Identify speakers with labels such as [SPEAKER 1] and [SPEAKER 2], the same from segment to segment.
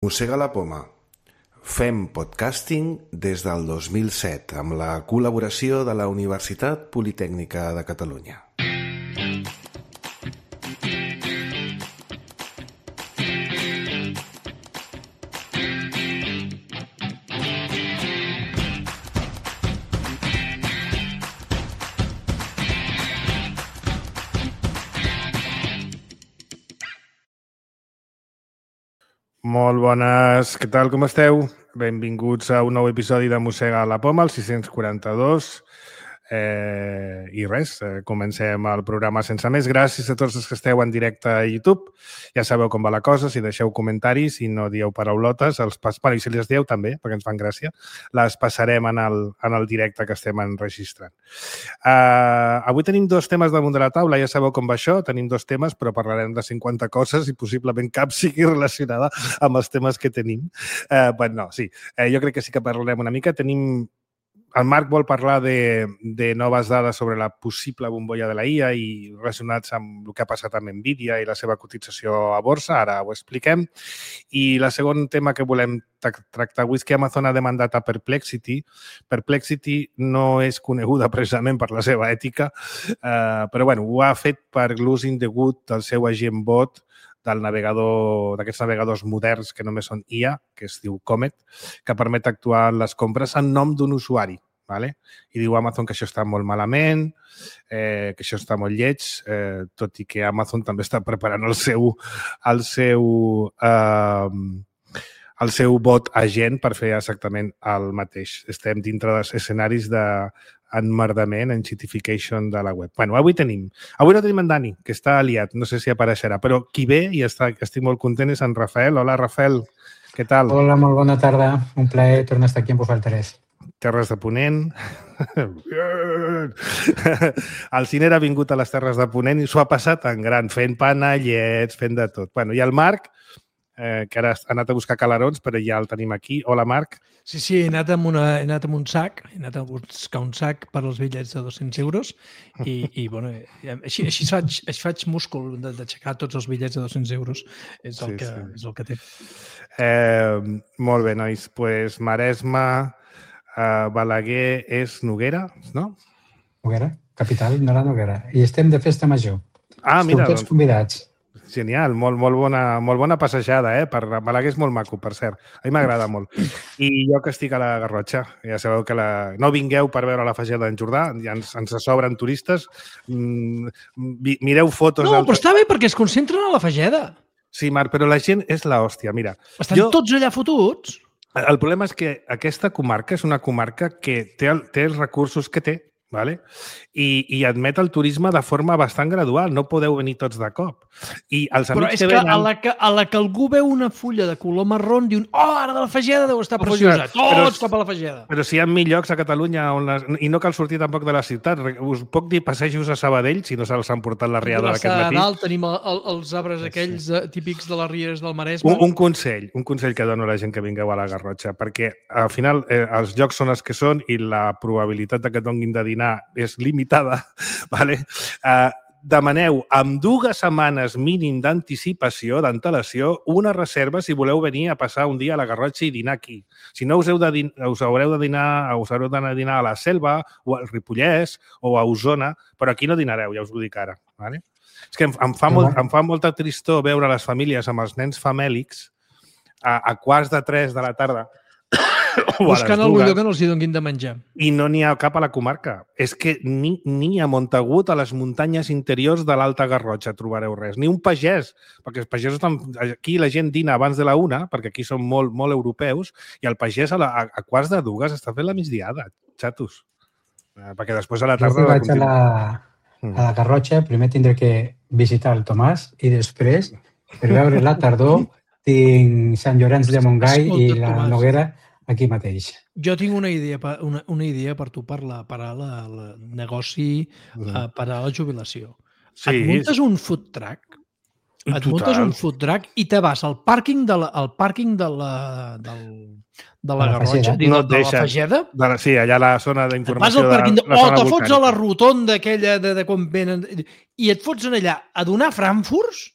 [SPEAKER 1] Mossega la poma. Fem podcasting des del 2007 amb la col·laboració de la Universitat Politècnica de Catalunya.
[SPEAKER 2] Molt bones, què tal, com esteu? Benvinguts a un nou episodi de Mossega la poma, el 642. I res, comencem el programa sense més. Gràcies a tots els que esteu en directe a YouTube. Ja sabeu com va la cosa, si deixeu comentaris i no dieu paraulotes, i si les dieu també, perquè ens fan gràcia, les passarem en el directe que estem enregistrant. Avui tenim dos temes damunt de la taula, ja sabeu com va això, tenim dos temes, però parlarem de 50 coses i possiblement cap sigui relacionada amb els temes que tenim. Jo crec que sí que parlarem una mica. El Marc vol parlar de noves dades sobre la possible bombolla de la IA i relacionats amb el que ha passat amb Nvidia i la seva cotització a borsa. Ara ho expliquem. I el segon tema que volem tractar avui és que Amazon ha demandat a Perplexity. Perplexity no és coneguda precisament per la seva ètica, però ho ha fet per l'ús indegut del seu agent bot del navegador, d'aquests navegadors moderns que només són IA, que es diu Comet, que permet actuar en les compres en nom d'un usuari. Vale? I diu Amazon que això està molt malament, que això està molt lleig, tot i que Amazon també està preparant el seu bot agent per fer exactament el mateix. Estem dintre dels escenaris d'enmerdament, enchitification de la web. Avui no tenim en Dani, que està aliat, no sé si apareixerà, però qui ve i estic molt content és en Rafael. Hola, Rafael, què tal?
[SPEAKER 3] Hola, molt bona tarda. Un plaer tornar a estar aquí amb vosaltres.
[SPEAKER 2] Terres de Ponent. El Ciner ha vingut a les Terres de Ponent i s'ho ha passat en gran, fent panellets, fent de tot. I el Marc, que ara ha anat a buscar calarons, però ja el tenim aquí. Hola, Marc.
[SPEAKER 4] Sí, he anat amb un sac, he anat a buscar un sac per als bitllets de 200 euros i així faig múscul d'aixecar tots els bitllets de 200 euros. És el que té.
[SPEAKER 2] Molt bé, nois. Maresme, Balaguer és Noguera, no?
[SPEAKER 3] Noguera, capital de la Noguera. I estem de festa major.
[SPEAKER 2] Mira,
[SPEAKER 3] tots convidats.
[SPEAKER 2] Genial, molt bona passejada, per Balaguer és molt maco, per cert. A mi m'agrada molt. I jo que estic a la Garrotxa, ja sabeu que no vingueu per veure la Fageda d'en Jordà, ja ens sobren turistes. Mireu fotos...
[SPEAKER 4] No, però està bé perquè es concentren a la Fageda.
[SPEAKER 2] Sí, Marc, però la gent és l'hòstia, mira.
[SPEAKER 4] Estan tots allà fotuts.
[SPEAKER 2] El problema és que aquesta comarca és una comarca que té els recursos que té, ¿vale? I admet el turisme de forma bastant gradual. No podeu venir tots de cop. I els amics
[SPEAKER 4] però és que venen... a la que algú veu una fulla de color marró, diuen ara de la Fageda deu estar preciosa. Tots cap a la Fageda.
[SPEAKER 2] Però si hi ha mil llocs a Catalunya i no cal sortir tampoc de la ciutat. Us puc dir passejos a Sabadell, si no se'ls han portat la riada d'aquest matí.
[SPEAKER 4] A dalt tenim els arbres aquells típics de les rieres del Maresme.
[SPEAKER 2] Un consell que dono a la gent que vingueu a la Garrotxa, perquè al final els llocs són els que són i la probabilitat que et donin de dinar és limitada, vale? Demaneu amb 2 setmanes mínim d'anticipació, d'antelació, una reserva si voleu venir a passar un dia a la Garrotxa i dinar aquí. Si no, us haureu d'anar a dinar a la Selva o al Ripollès o a Osona, però aquí no dinareu, ja us ho dic ara. Vale? És que em fa molta tristor veure les famílies amb els nens famèlics a 2:45 de la tarda
[SPEAKER 4] buscant algun lloc que no els hi donin de menjar.
[SPEAKER 2] I no n'hi ha cap a la comarca. És que ni a Montagut, a les muntanyes interiors de l'Alta Garrotxa, trobareu res. Ni un pagès, perquè els pagesos estan... Aquí la gent dina abans de la 1, perquè aquí són molt europeus, i el pagès a 1:45 està fent la migdiada, xatos. Perquè després a la tarda...
[SPEAKER 3] Jo vaig a la Garrotxa, primer tindré que visitar el Tomàs i després, per veure la tardor, tinc Sant Llorenç de Montgai i la Noguera aquí mateix.
[SPEAKER 4] Jo tinc una idea per tu per al negoci, per a la jubilació. Et muntes un food truck, i te vas al pàrquing de la Garrotxa, de la Fageda.
[SPEAKER 2] Sí, allà a la zona d'informació.
[SPEAKER 4] Vas al pàrquing o te fots a la rotonda aquella de quan venen i et fots allà a donar frankfurts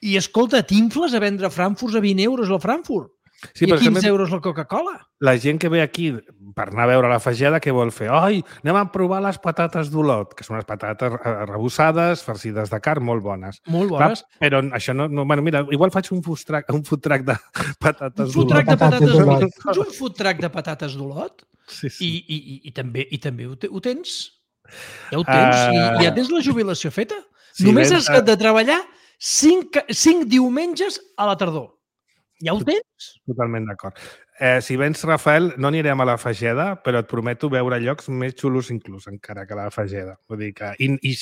[SPEAKER 4] i, escolta, t'infles a vendre frankfurts a 20 euros al Frankfurt. I a 15 euros la Coca-Cola.
[SPEAKER 2] La gent que ve aquí per anar a veure la Fageda, què vol fer? Ai, anem a provar les patates d'Olot, que són unes patates arrebossades, farcides de carn, molt bones.
[SPEAKER 4] Molt bones.
[SPEAKER 2] Clar, però això no... Bueno, mira, igual faig un food truck de patates d'Olot.
[SPEAKER 4] Un food truck de patates d'Olot. Un food truck de patates d'Olot?
[SPEAKER 2] Sí.
[SPEAKER 4] I també ho tens. Ja ho tens. I ja tens la jubilació feta. Sí, només has de treballar 5 diumenges a la tardor. Ja ho tens?
[SPEAKER 2] Totalment d'acord. Si vens, Rafael, no anirem a la Fageda, però et prometo veure llocs més xulos inclús encara que la Fageda. Vull dir que... I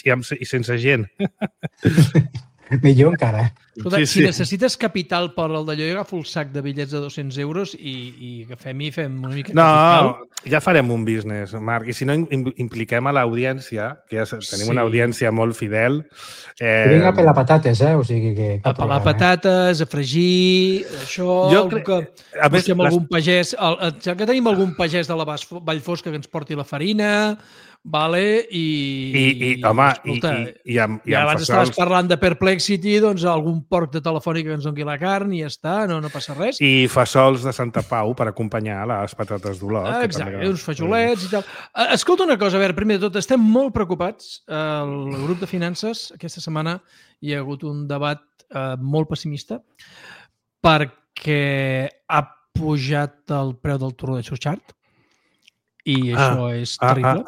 [SPEAKER 2] sense gent.
[SPEAKER 3] Millor encara.
[SPEAKER 4] Escolta, si necessites capital per al d'allò, jo agafo el sac de bitllets de 200 euros i agafem una mica de capital.
[SPEAKER 2] No, ja farem un business, Marc. I si no, impliquem a l'audiència, que ja tenim una audiència molt fidel.
[SPEAKER 3] Vinga a pelar patates, o sigui que...
[SPEAKER 4] A pelar patates, a fregir, això... A més, algun pagès, ja que tenim algun pagès de la Vallfosca que ens porti la farina... Vale,
[SPEAKER 2] home, i amb
[SPEAKER 4] abans estaves parlant de Perplexity, doncs algun porc de Telefònica que ens doni la carn i ja està, no passa res.
[SPEAKER 2] I fasols de Santa Pau per acompanyar les patates d'Olot.
[SPEAKER 4] Exacte, uns fajolets i tal. Escolta una cosa, a veure, primer de tot, estem molt preocupats. El grup de finances, aquesta setmana hi ha hagut un debat molt pessimista perquè ha pujat el preu del torró de Xuxart. I això és terrible.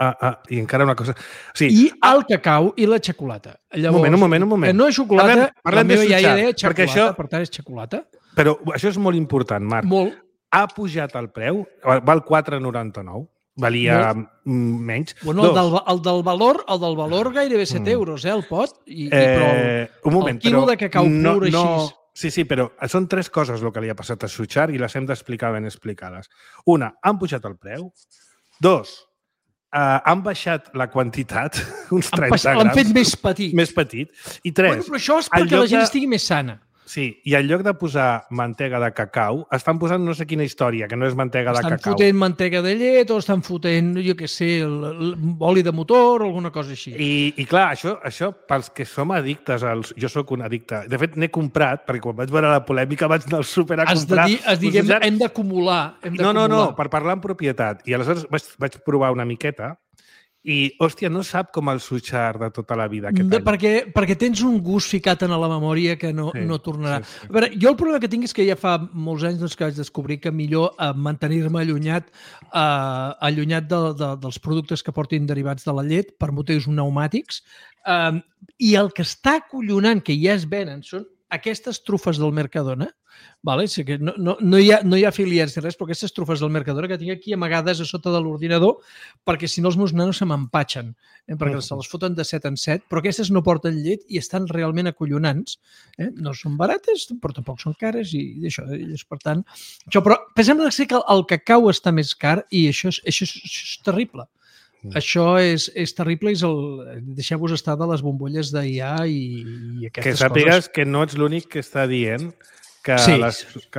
[SPEAKER 2] I encara una cosa... Sí.
[SPEAKER 4] I el cacau i la xocolata. Llavors,
[SPEAKER 2] un moment.
[SPEAKER 4] Que no és xocolata,
[SPEAKER 2] la meva iaia deia
[SPEAKER 4] xocolata, per tant és xocolata.
[SPEAKER 2] Però això és molt important, Marc.
[SPEAKER 4] Molt.
[SPEAKER 2] Ha pujat el preu, val 4,99. Valia menys.
[SPEAKER 4] Bueno, el del valor gairebé 7 euros, el pot. Però
[SPEAKER 2] un moment,
[SPEAKER 4] el quilo de cacau pur així...
[SPEAKER 2] Sí, però són 3 coses el que li ha passat a Xuxart i les hem d'explicar ben explicades. Una, han pujat el preu. 2, han baixat la quantitat, uns 30 grams.
[SPEAKER 4] L'han fet més petit.
[SPEAKER 2] Més petit. I 3...
[SPEAKER 4] Bueno, però això és perquè la gent estigui més sana.
[SPEAKER 2] Sí, i en lloc de posar mantega de cacau, estan posant no sé quina història, que no és mantega de cacau.
[SPEAKER 4] Estan fotent mantega de llet o estan fotent, jo què sé, oli de motor o alguna cosa així.
[SPEAKER 2] I clar, això pels que som addictes, jo sóc un addicte. De fet, n'he comprat, perquè quan vaig veure la polèmica vaig anar al súper a comprar.
[SPEAKER 4] Has dit que hem d'acumular.
[SPEAKER 2] No, per parlar en propietat. I aleshores vaig provar una miqueta i, hòstia, no sap com el Xuxart de tota la vida aquest any.
[SPEAKER 4] Perquè tens un gust ficat en la memòria que no tornarà. Sí. A veure, jo el problema que tinc és que ja fa molts anys que vaig descobrir que millor mantenir-me allunyat dels productes que portin derivats de la llet per motius pneumàtics. I el que està acollonant, que ja es venen, són aquestes trufes del Mercadona. Vale? Sí que no hi ha afiliats ni res, però aquestes trufes del Mercadona que tinc aquí amagades a sota de l'ordinador perquè si no els meus nanos se m'empatxen, perquè se les foten de 7 en 7, però aquestes no porten llet i estan realment acollonants. No són barates, però tampoc són cares i això, per tant... Però pensem que el cacau està més car i això és terrible. Això és terrible i deixeu-vos estar de les bombolles d'IA i aquestes coses.
[SPEAKER 2] Que sàpigues que no ets l'únic que està dient que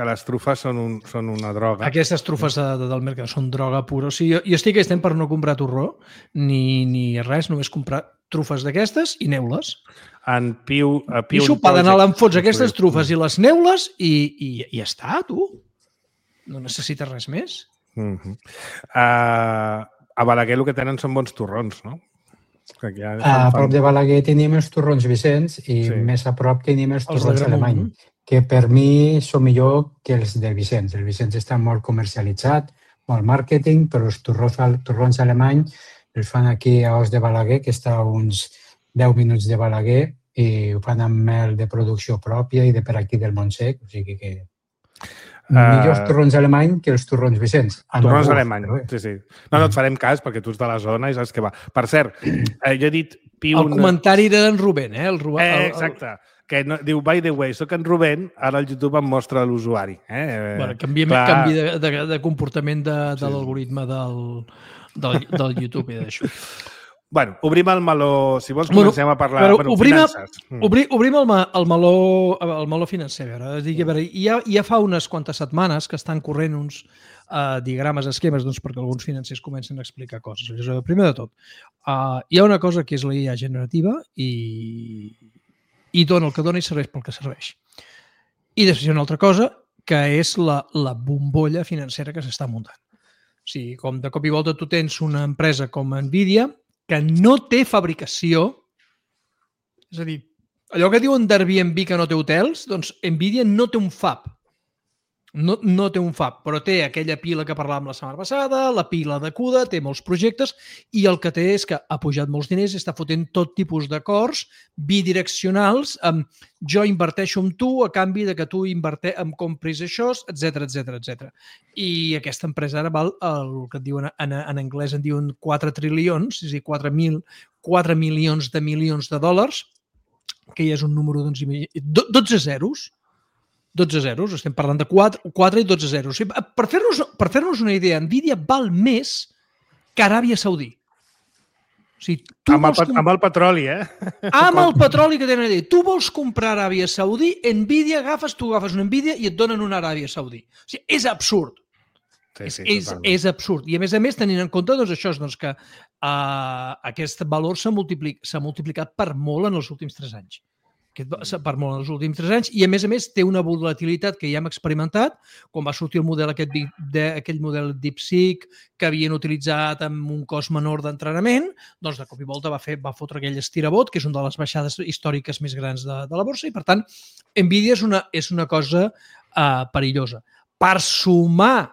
[SPEAKER 2] les trufes són una droga.
[SPEAKER 4] Aquestes trufes del mercat són droga pura. O sigui, jo estic aquest temps per no comprar torró ni res, només comprar trufes d'aquestes i neules.
[SPEAKER 2] I
[SPEAKER 4] sopar d'anar a l'enfots aquestes trufes i les neules i ja està, tu. No necessites res més.
[SPEAKER 2] A Balaguer el que tenen són bons torrons, no?
[SPEAKER 3] A prop de Balaguer tenim els torrons Vicenç i més a prop tenim els torrons Alemany, que per mi són millor que els del Vicenç. El Vicenç està molt comercialitzat, molt màrqueting, però els torrons Alemany els fan aquí a Os de Balaguer, que està a uns 10 minuts de Balaguer, i ho fan amb mel de producció pròpia i de per aquí del Montsec, o sigui que... millors torrons Alemany que els torrons Vicenç.
[SPEAKER 2] Torrons Alemany, sí. No et farem cas perquè tu ets de la zona i saps què va. Per cert, jo he dit...
[SPEAKER 4] El comentari d'en Rubén,
[SPEAKER 2] exacte. Que diu, by the way, soc en Rubén, ara el YouTube em mostra l'usuari.
[SPEAKER 4] Canvi de comportament de l'algoritme del YouTube i d'això.
[SPEAKER 2] Bueno, obrim el meló, si vols comencem a parlar de finances.
[SPEAKER 4] Obrim el meló financer. Ja fa unes quantes setmanes que estan corrent uns diagrames, esquemes, perquè alguns financers comencen a explicar coses. Primer de tot, hi ha una cosa que és la IA generativa i dona el que dona i serveix pel que serveix. I després hi ha una altra cosa que és la bombolla financera que s'està muntant. O sigui, com de cop i volta tu tens una empresa com Nvidia que no té fabricació, és a dir, allò que diuen d'Airbnb que no té hotels, doncs Nvidia no té un fab. No té un fab, però té aquella pila que parlàvem la setmana passada, la pila de CUDA, té molts projectes i el que té és que ha pujat molts diners i està fotent tot tipus d'acords bidireccionals amb jo inverteixo amb tu a canvi de que tu em compris això, etc. I aquesta empresa ara val el que et diuen en anglès en diuen 4 trilions, és a dir, 4 milions de milions de dòlars, que ja és un número, doncs, 12 zeros. 12 zeros, estem parlant de 4 i 12 zeros. Per fer-nos una idea, Nvidia val més que Aràbia Saudí. O sigui,
[SPEAKER 2] amb el petroli, eh?
[SPEAKER 4] Amb el petroli que tenen allà. Tu vols comprar Aràbia Saudí, Nvidia, tu agafes una Nvidia i et donen una Aràbia Saudí. O sigui, és absurd.
[SPEAKER 2] Sí,
[SPEAKER 4] és absurd. I a més, tenint en compte doncs, això, doncs, que aquest valor s'ha multiplicat per molt en els últims 3 anys. Per molt en els últims 3 anys, i a més té una volatilitat que ja hem experimentat, quan va sortir el model aquell model DeepSeek que havien utilitzat amb un cost menor d'entrenament, doncs de cop i volta va fotre aquell estirabot, que és una de les baixades històriques més grans de la borsa, i per tant, Nvidia és una cosa perillosa. Per sumar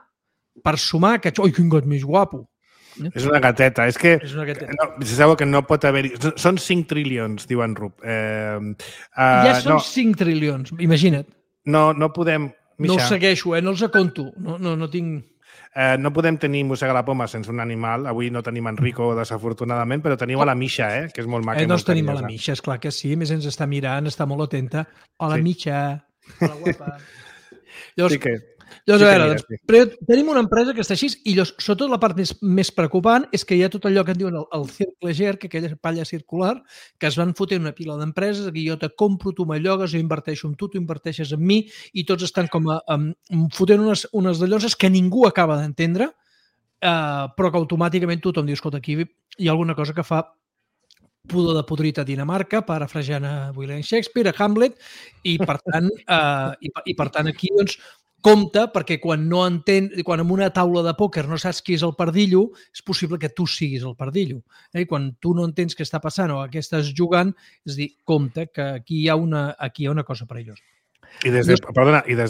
[SPEAKER 4] que... Ui, quin gat més guapo!
[SPEAKER 2] És una gateta. És que se sabeu que no pot haver-hi... Són 5 trilions, diu en Rup.
[SPEAKER 4] Ja són 5 trilions, imagina't.
[SPEAKER 2] No podem...
[SPEAKER 4] No els segueixo, no els aconto. No tinc...
[SPEAKER 2] No podem tenir Mossega la Poma sense un animal. Avui no tenim Enrico, desafortunadament, però tenim a la Misha, que és molt maca.
[SPEAKER 4] No tenim a la Misha, esclar que sí. A més, ens està mirant, està molt atenta. Hola, Misha. Hola, guapa. Llavors, a veure, tenim una empresa que està així i sobretot la part més preocupant és que hi ha tot allò que en diuen el cercle GERC, aquella palla circular, que es van fotent una pila d'empreses, que jo te compro, tu m'allogues, jo inverteixo en tu inverteixes en mi, i tots estan com fotent unes dalloses que ningú acaba d'entendre, però que automàticament tothom diu, escolta, aquí hi ha alguna cosa que fa pudor de podrit a Dinamarca, parafrasejant a William Shakespeare, a Hamlet, i per tant aquí, doncs, compte, perquè quan en una taula de pòquer no saps qui és el pardillo, és possible que tu siguis el pardillo. I quan tu no entens què està passant o què estàs jugant, és dir, compte, que aquí hi ha una cosa perillosa.
[SPEAKER 2] I des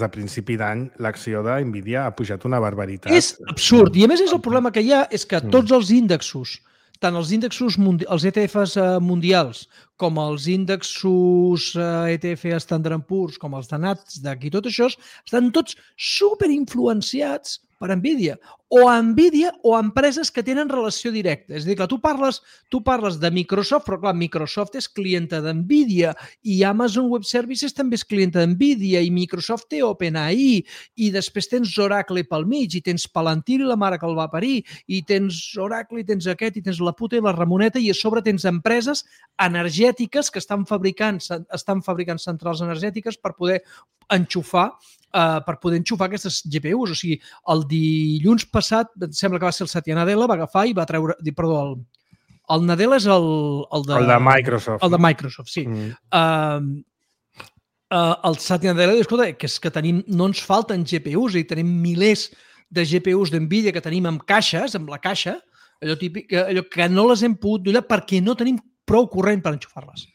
[SPEAKER 2] de principi d'any l'acció d'Nvidia ha pujat una barbaritat.
[SPEAKER 4] És absurd. I a més el problema que hi ha és que tots els índexos, tant els índexos, els ETFs mundials, com els índexos ETF Standard & Poor's, com els de Nasdaq i tot això, estan tots superinfluenciats per Nvidia o empreses que tenen relació directa. És a dir, que tu parles de Microsoft, però clar, Microsoft és clienta d'Nvidia i Amazon Web Services també és clienta d'Nvidia i Microsoft té OpenAI i després tens Oracle pel mig i tens Palantir i la mare que el va parir i tens Oracle i tens aquest i tens la puta i la Ramoneta i a sobre tens empreses energètiques que estan fabricant centrals energètiques per poder enxufar aquestes GPUs. O sigui, el dilluns passat, sembla que va ser el Satya Nadella, va agafar i va treure... Perdó, el Nadella és el
[SPEAKER 2] de Microsoft.
[SPEAKER 4] El de Microsoft, sí. El Satya Nadella diu, escolta, que és que no ens falten GPUs i tenim milers de GPUs d'Nvidia que tenim amb caixes, amb la caixa, allò típic, allò que no les hem pogut donar perquè no tenim prou corrent per enxufar-les.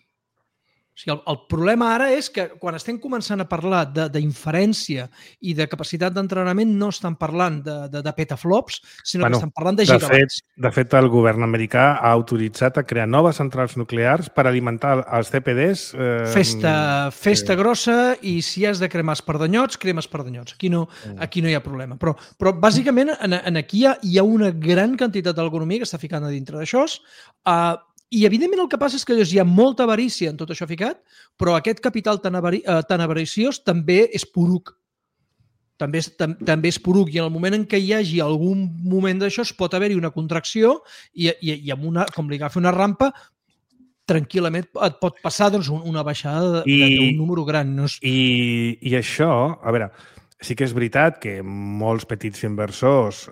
[SPEAKER 4] O sigui, el problema ara és que quan estem començant a parlar d'inferència i de capacitat d'entrenament no estan parlant de petaflops, sinó que estan parlant de gigabats.
[SPEAKER 2] De fet, el govern americà ha autoritzat a crear noves centrals nuclears per alimentar els CPDs.
[SPEAKER 4] Festa grossa i si has de cremar espardanyots, cremes espardanyots. Aquí no hi ha problema. Però bàsicament aquí hi ha una gran quantitat de l'economia que està ficant a dintre d'això. I, evidentment, el que passa és que hi ha molta avarícia en tot això ficat, però aquest capital tan avariciós també és poruc. També és poruc. I en el moment en què hi hagi algun moment d'això, pot haver-hi una contracció i com li agafi una rampa, tranquil·lament et pot passar una baixada d'un número gran.
[SPEAKER 2] I això, a veure, Sí que és veritat que molts petits inversors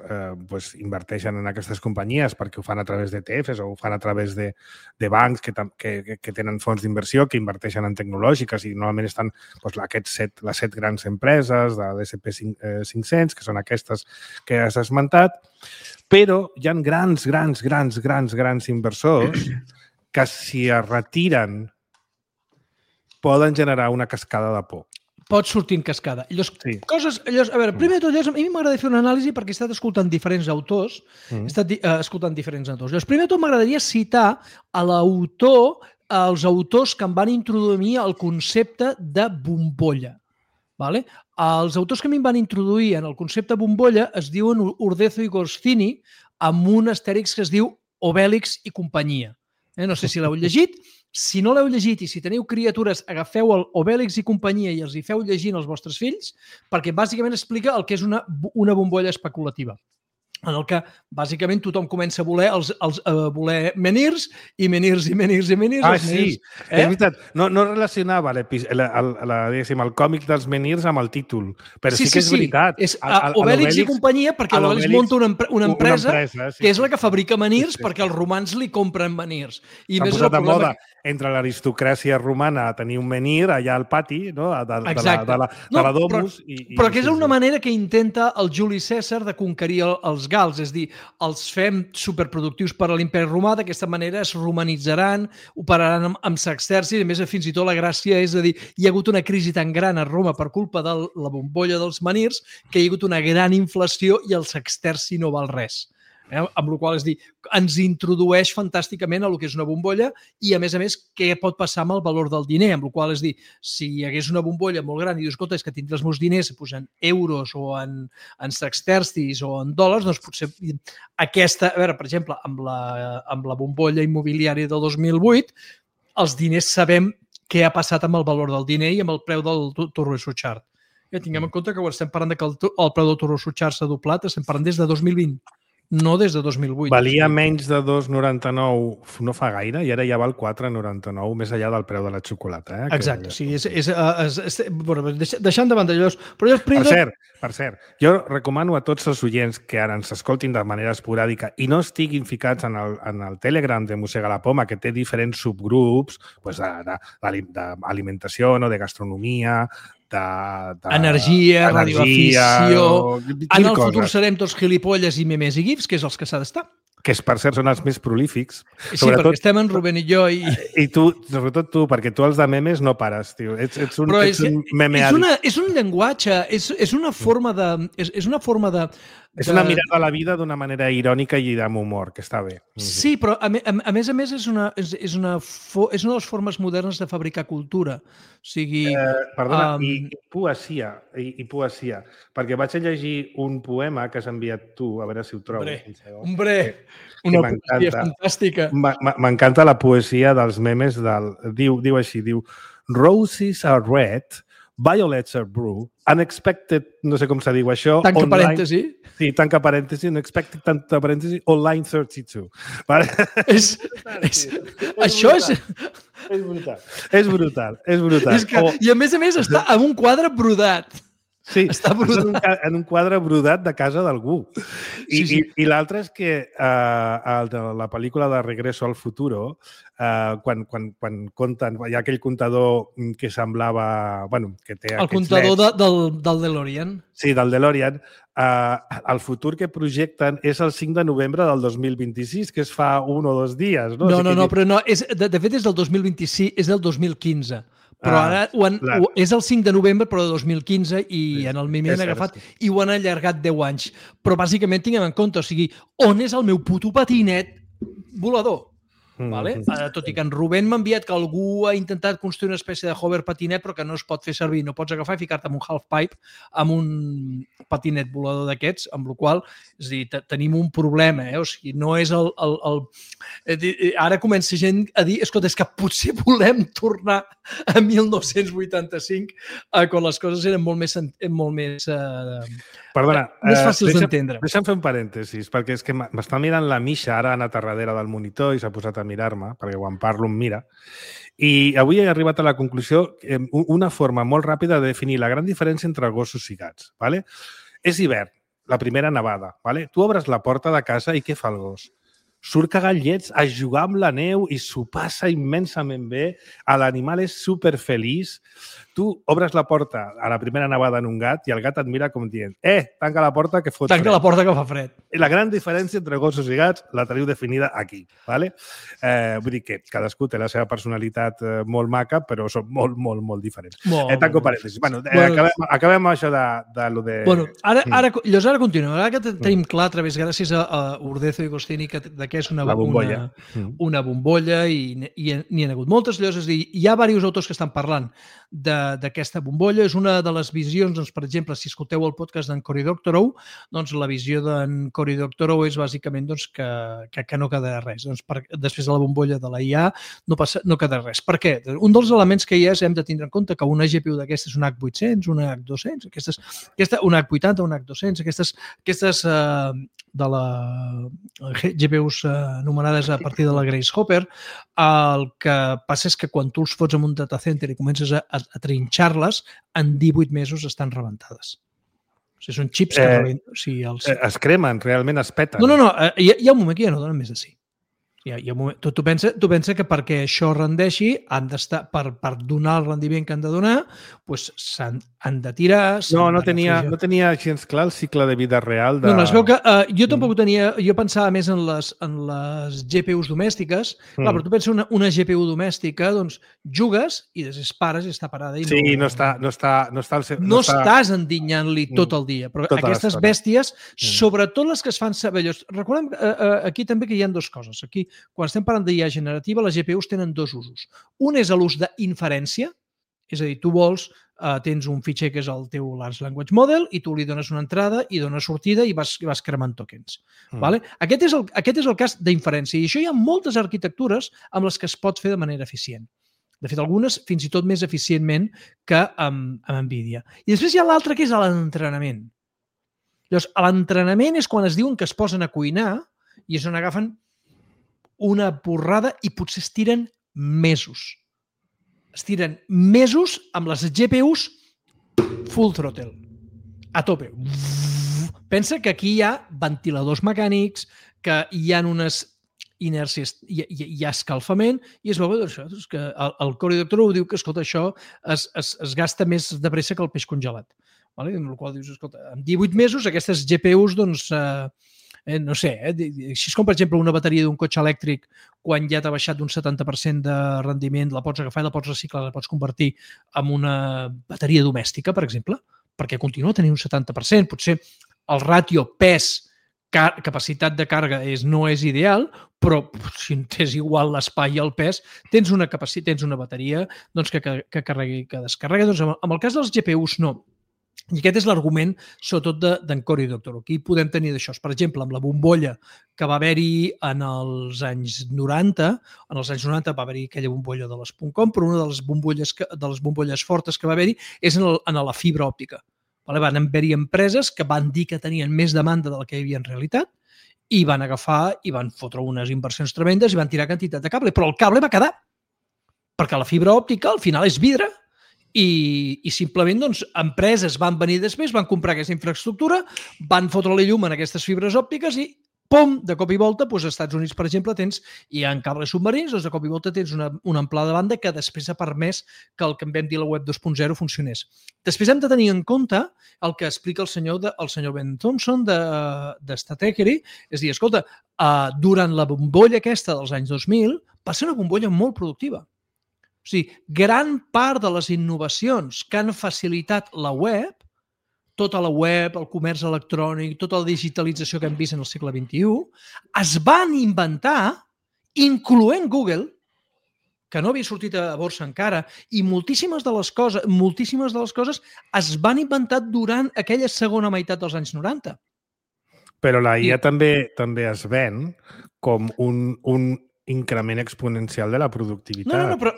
[SPEAKER 2] inverteixen en aquestes companyies perquè ho fan a través d'ETFs o ho fan a través de bancs que tenen fons d'inversió, que inverteixen en tecnològiques i normalment estan les 7 grans empreses de l'S&P 500, que són aquestes que has esmentat, però hi ha grans inversors que si es retiren poden generar una cascada de por.
[SPEAKER 4] Pot sortir en cascada. Primer de tot, a mi m'agradaria fer una anàlisi perquè he estat escoltant diferents autors. Primer de tot, m'agradaria citar a l'autor, els autors que em van introduir el concepte de bombolla. Vale? Els autors que a mi em van introduir en el concepte bombolla es diuen Urdezo i Goscini, amb un astèrix que es diu Obélix i companyia. No sé si l'heu llegit. Si no l'heu llegit i si teniu criatures, agafeu el Obélix i companyia i els hi feu llegint als vostres fills, perquè bàsicament explica el que és una bombolla especulativa, en el que bàsicament tothom comença a voler menirs i menirs.
[SPEAKER 2] Sí, és veritat. No relacionava el còmic dels menirs amb el títol, però sí que és veritat.
[SPEAKER 4] És Obélix i companyia perquè l'Obélix munta una empresa que és la que fabrica menirs perquè els romans li compren menirs.
[SPEAKER 2] S'ha posat de moda entre l'aristocràcia romana a tenir un menir allà al pati de la Domus.
[SPEAKER 4] Però que és una manera que intenta el Juli Cèsar de conquerir els gals, és dir, els fem superproductius per a l'imperi romà, d'aquesta manera es romanitzaran, operaran amb sextercis, a més fins i tot la gràcia és a dir, hi ha hagut una crisi tan gran a Roma per culpa de la bombolla dels menirs que hi ha hagut una gran inflació i el sexterci no val res. Amb la qual cosa, és dir, ens introdueix fantàsticament a lo que és una bombolla i, a més, què pot passar amb el valor del diner, amb la qual cosa, és dir, si hi hagués una bombolla molt gran i dius, escolta, és que tindré els meus diners en euros o en sextercis o en dòlars, doncs potser aquesta, a veure, per exemple, amb la bombolla immobiliària del 2008, els diners sabem què ha passat amb el valor del diner i amb el preu del Turbo Suchard. Tinguem en compte que estem parlant que el preu del Turbo Suchard s'ha doblat, estem parlant des de 2020. No des de 2008.
[SPEAKER 2] Valia menys de 2,99 no fa gaire i ara ja val 4,99 més enllà del preu de la xocolata.
[SPEAKER 4] Exacte. Sí, deixant de banda allò...
[SPEAKER 2] Per cert, jo recomano a tots els oients que ara ens escoltin de manera esporàdica i no estiguin ficats en el Telegram de Mossega la Poma, que té diferents subgrups d'alimentació, de gastronomia,
[SPEAKER 4] energia, radioafició... En el futur serem tots gilipolles i memes i gifs, que és els que s'ha d'estar.
[SPEAKER 2] Que, per cert, són els més prolífics.
[SPEAKER 4] Sí, perquè estem en Rubén i jo.
[SPEAKER 2] I tu, sobretot tu, perquè tu els de memes no pares, tio. Ets un meme àdic.
[SPEAKER 4] És un llenguatge, és una forma de...
[SPEAKER 2] És una mirada a la vida d'una manera irònica i amb humor, que està bé.
[SPEAKER 4] Sí, però a més és una de les formes modernes de fabricar cultura. O sigui...
[SPEAKER 2] Perdona, i poesia, perquè vaig a llegir un poema que has enviat tu, a veure si ho trobo.
[SPEAKER 4] Hombre, una poesia fantàstica.
[SPEAKER 2] M'encanta la poesia dels memes diu així, Roses are red, violets are blue, unexpected, no sé com se diu això.
[SPEAKER 4] Tanca parèntesi.
[SPEAKER 2] Sí, tanca parèntesi, unexpected, tanca parèntesi, online 32.
[SPEAKER 4] Això és...
[SPEAKER 2] És brutal.
[SPEAKER 4] I a més està en un quadre brodat.
[SPEAKER 2] Sí, està en un quadre brodat de casa d'algú. I l'altre és que la pel·lícula de Regreso al Futuro, quan compten, hi ha aquell comptador que semblava... que té
[SPEAKER 4] el comptador del DeLorean.
[SPEAKER 2] Sí, del DeLorean. El futur que projecten és el 5 de novembre del 2026, que es fa 1 o 2 dies.
[SPEAKER 4] No, però no. De fet, és del 2026, és del 2015. Però ara és el 5 de novembre, però de 2015, i en el meme han agafat i ho han allargat 10 anys. Però bàsicament tinguem en compte, o sigui, on és el meu puto patinet volador? Tot i que en Rubén m'ha enviat que algú ha intentat construir una espècie de hover patinet però que no es pot fer servir, no pots agafar i ficar-te en un half-pipe amb un patinet volador d'aquests, amb la qual cosa, és a dir, tenim un problema, o sigui, no és ara comença gent a dir, escolta, és que potser volem tornar a 1985 quan les coses eren molt més
[SPEAKER 2] Perdona,
[SPEAKER 4] més fàcils d'entendre.
[SPEAKER 2] Deixa'm fer un parèntesis, perquè és que m'està mirant la Misha, ara ha anat a darrere del monitor i s'ha posat a mirar-me, perquè quan parlo em mira. I avui he arribat a la conclusió, una forma molt ràpida de definir la gran diferència entre gossos i gats. ¿Vale? És hivern, la primera nevada. ¿Vale? Tu obres la porta de casa i què fa el gos? Surt cagar llets a jugar amb la neu i s'ho passa immensament bé. L'animal és superfeliç. Tu obres la porta a la primera nevada en un gat i el gat et mira com dient tanca la porta que fot fred.
[SPEAKER 4] Tanca la porta que fa fred.
[SPEAKER 2] La gran diferència entre gossos i gats la teniu definida aquí. ¿Vale? Vull dir que cadascú té la seva personalitat molt maca, però són molt, molt, molt diferents. Tanco parèntesis. Bueno, acabem amb això de lo de...
[SPEAKER 4] Bueno, ara continuem. Ara que tenim clar, a través, gràcies a Urdezo i Gostini, que és una bombolla i n'hi ha hagut moltes. És a dir, hi ha diversos autors que estan parlant d'aquesta bombolla. És una de les visions, doncs, per exemple, si escolteu el podcast d'en Cory Doctorow, doncs la visió d'en Cory Doctorow és bàsicament doncs, que no quedarà res. Doncs, després de la bombolla de la IA no quedarà res. Per què? Un dels elements que hi és, hem de tindre en compte que una GPU d'aquestes, una H800, una H200, una H80, una H200, aquestes de la GPUs anomenades a partir de la Grace Hopper, el que passa és que quan tu els fots en un data center i comences a trinxar-les, en 18 mesos estan rebentades. O sigui, són xips que rebenten. O sigui,
[SPEAKER 2] es cremen, realment es peten.
[SPEAKER 4] No, hi ha un moment que ja no donen més de 5. Hi ha un moment. Tu pensa que perquè això rendeixi, han d'estar, per donar el rendiment que han de donar, doncs han de tirar...
[SPEAKER 2] No tenia gens clar el cicle de vida real de...
[SPEAKER 4] No, es veu que jo tampoc tenia... Jo pensava més en les GPUs domèstiques. Clar, però tu penses una GPU domèstica, doncs jugues i després pares i està parada.
[SPEAKER 2] No
[SPEAKER 4] estàs endinyant-li tot el dia. Però aquestes bèsties, sobretot les que es fan saber... Recordem aquí també que hi ha dues coses. Aquí, quan estem parlant d'IA generativa, les GPUs tenen dos usos. Un és l'ús d'inferència, és a dir, tu tens un fitxer que és el teu Large Language Model i tu li dones una entrada i dones sortida i vas cremant tokens. Vale? Aquest és el cas d'inferència i això hi ha moltes arquitectures amb les que es pot fer de manera eficient. De fet, algunes fins i tot més eficientment que amb NVIDIA. I després hi ha l'altre que és l'entrenament. Llavors, l'entrenament és quan es diuen que es posen a cuinar i és on agafen una porrada i potser es tiren mesos. Es tiren mesos amb les GPUs full throttle, a tope. Pensa que aquí hi ha ventiladors mecànics, que hi ha unes inèrcies, hi ha escalfament, i es veu que el Cory Doctorow diu que, escolta, això es gasta més de pressa que el peix congelat. Amb la qual dius, escolta, en 18 mesos aquestes GPUs, doncs, no sé, així com, per exemple, una bateria d'un cotxe elèctric, quan ja t'ha baixat d'un 70% de rendiment, la pots agafar i la pots reciclar, la pots convertir en una bateria domèstica, per exemple, perquè continua tenint un 70%. Potser el ràtio pes-capacitat de càrrega no és ideal, però si tens igual l'espai i el pes, tens una bateria que carrega i que descarrega. Doncs en el cas dels GPUs, no. I aquest és l'argument, sobretot, d'en Cory Doctorow. Aquí podem tenir d'això. Per exemple, amb la bombolla que va haver-hi en els anys 90, va haver-hi aquella bombolla de les .com, però una de les bombolles fortes que va haver-hi és en la fibra òptica. Van haver-hi empreses que van dir que tenien més demanda de la que hi havia en realitat i van agafar i van fotre unes inversions tremendes i van tirar quantitat de cable. Però el cable va quedar, perquè la fibra òptica al final és vidre. I simplement, doncs, empreses van venir després, van comprar aquesta infraestructura, van fotre-li llum en aquestes fibres òptiques i, pum, de cop i volta, doncs, als Estats Units, per exemple, hi ha cables submarins, doncs de cop i volta tens una amplada de banda que després ha permès que el que en vam dir la web 2.0 funcionés. Després hem de tenir en compte el que explica el senyor Ben Thompson de Stratechery, és a dir, escolta, durant la bombolla aquesta dels anys 2000 va ser una bombolla molt productiva. O sigui, gran part de les innovacions que han facilitat la web, tota la web, el comerç electrònic, tota la digitalització que hem vist en el segle XXI, es van inventar, incloent Google, que no havia sortit a borsa encara, i moltíssimes de les coses es van inventar durant aquella segona meitat dels anys 90.
[SPEAKER 2] Però la IA també es ven com un increment exponencial de la productivitat.
[SPEAKER 4] Però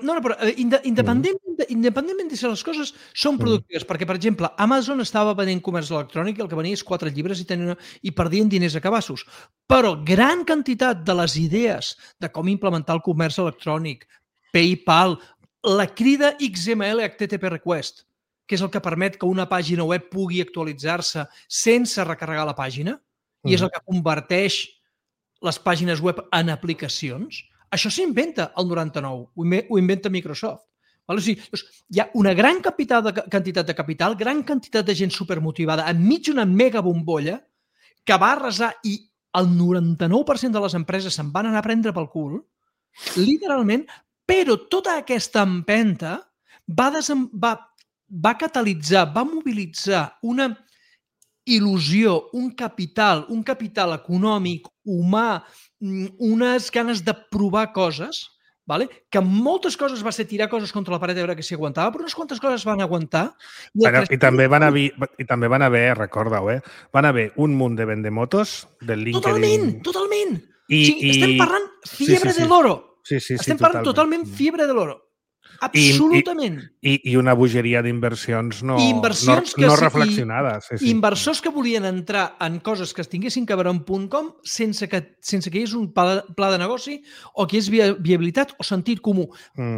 [SPEAKER 4] independentment de si les coses són productives, perquè, per exemple, Amazon estava venent comerç electrònic i el que venia és 4 llibres i perdien diners a cabassos. Però gran quantitat de les idees de com implementar el comerç electrònic, PayPal, la crida XML HTTP request, que és el que permet que una pàgina web pugui actualitzar-se sense recarregar la pàgina, i és el que converteix les pàgines web en aplicacions, això s'inventa el 99, ho inventa Microsoft. O sigui, hi ha una gran quantitat de capital, gran quantitat de gent supermotivada enmig d'una mega bombolla que va arrasar i el 99% de les empreses se'n van anar a prendre pel cul, literalment, però tota aquesta empenta va catalitzar, va mobilitzar una il·lusió, un capital econòmic, humà, unes ganes de provar coses, que moltes coses va ser tirar coses contra la paret a veure que s'hi aguantava, però unes quantes coses van aguantar.
[SPEAKER 2] I també van haver, recorda-ho, van haver un munt de vendemotos del LinkedIn.
[SPEAKER 4] Totalment! Estem parlant fiebre de l'oro. Estem parlant totalment fiebre de l'oro. Absolutament.
[SPEAKER 2] I una bogeria d'inversions no reflexionades.
[SPEAKER 4] Inversors que volien entrar en coses que es tinguessin que veure en .com sense que hi hagués un pla de negoci o que hi hagués viabilitat o sentit comú.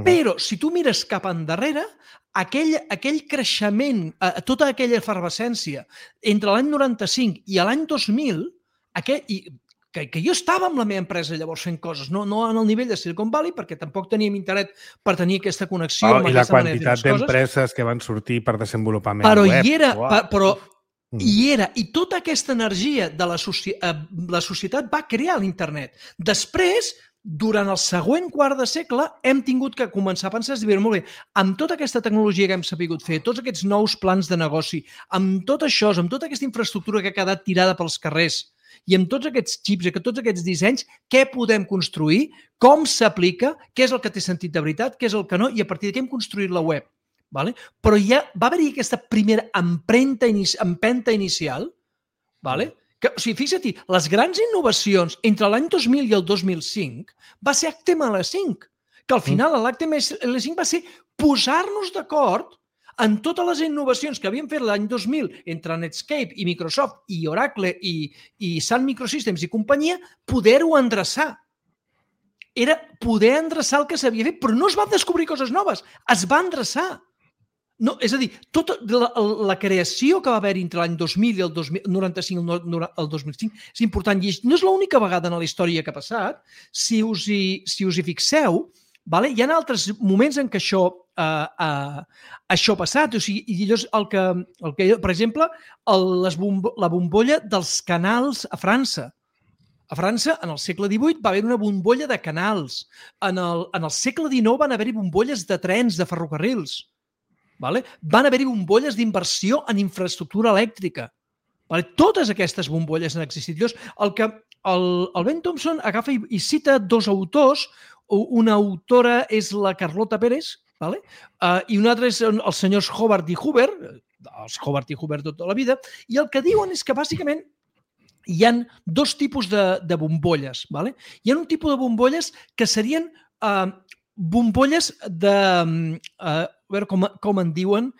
[SPEAKER 4] Però si tu mires cap endarrere, aquell creixement, tota aquella efervescència entre l'any 95 i l'any 2000, que jo estava amb la meva empresa llavors fent coses, no en el nivell de Silicon Valley, perquè tampoc teníem internet per tenir aquesta connexió.
[SPEAKER 2] I la quantitat d'empreses que van sortir per desenvolupament
[SPEAKER 4] web.
[SPEAKER 2] Però
[SPEAKER 4] hi era. I tota aquesta energia de la societat va crear l'internet. Després, durant el següent quart de segle, hem tingut que començar a pensar, molt bé, amb tota aquesta tecnologia que hem sabut fer, tots aquests nous plans de negoci, amb tot això, amb tota aquesta infraestructura que ha quedat tirada pels carrers, i amb tots aquests xips i tots aquests dissenys, què podem construir, com s'aplica, què és el que té sentit de veritat, què és el que no, i a partir d'aquí hem construït la web. Però ja va haver-hi aquesta primera empenta inicial, que, o sigui, fixa't, les grans innovacions entre l'any 2000 i el 2005 va ser HTML5, que al final l'HTML5 va ser posar-nos d'acord en totes les innovacions que havien fet l'any 2000 entre Netscape i Microsoft i Oracle i Sun Microsystems i companyia, poder-ho endreçar. Era poder endreçar el que s'havia fet, però no es van descobrir coses noves, es va endreçar. No, és a dir, tota la creació que va haver entre l'any 2000 i el 95 al 2005 és important i no és l'única vegada en la història que ha passat. Si us hi fixeu, hi ha altres moments en què això ha passat. O sigui, per exemple, la bombolla dels canals a França. A França, en el segle XVIII, va haver una bombolla de canals. En el segle XIX van haver-hi bombolles de trens, de ferrocarrils. Van haver-hi bombolles d'inversió en infraestructura elèctrica. Totes aquestes bombolles han existit. El Ben Thompson agafa i cita dos autors. Una autora és la Carlota Pérez i una altra és els senyors Hobart i Huber, els Hobart i Huber tota la vida, i el que diuen és que bàsicament hi ha dos tipus de bombolles. Hi ha un tipus de bombolles que serien bombolles de... a veure com en diuen...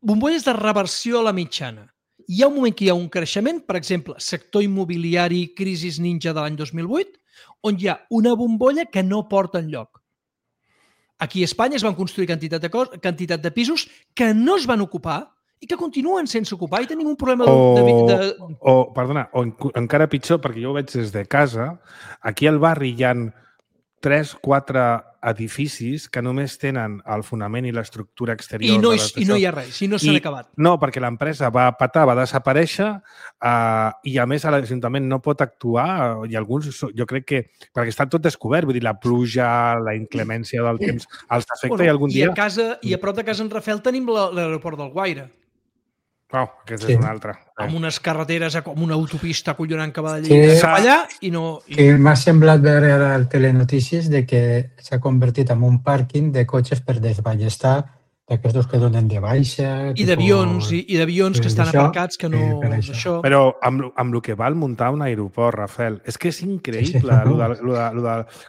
[SPEAKER 4] bombolles de reversió a la mitjana. Hi ha un moment que hi ha un creixement, per exemple, sector immobiliari, crisis ninja de l'any 2008, on hi ha una bombolla que no porta enlloc. Aquí a Espanya es van construir quantitat de pisos que no es van ocupar i que continuen sense ocupar i tenim un problema
[SPEAKER 2] Perdona, encara pitjor, perquè jo ho veig des de casa, aquí al barri hi ha 3-4 edificis que només tenen el fonament i l'estructura exterior.
[SPEAKER 4] I no hi ha res, i no s'han acabat.
[SPEAKER 2] No, perquè l'empresa va patar, va desaparèixer i a més l'Ajuntament no pot actuar i alguns, jo crec que, perquè està tot descobert, vull dir, la pluja, la inclemència del temps, els afecta i algun dia...
[SPEAKER 4] I a prop de casa en Rafel tenim l'aeroport del Guaire.
[SPEAKER 2] Aquesta és una altra.
[SPEAKER 4] Amb unes carreteres, com una autopista acollonant que va d'allà cap allà i no...
[SPEAKER 3] Que m'ha semblat veure al Telenotícies de que s'ha convertit en un pàrquing de cotxes per desballestar d'aquests que donen de baixa...
[SPEAKER 4] I d'avions que estan aparcats, que no...
[SPEAKER 2] Però amb el que val muntar un aeroport, Rafael, és que és increïble.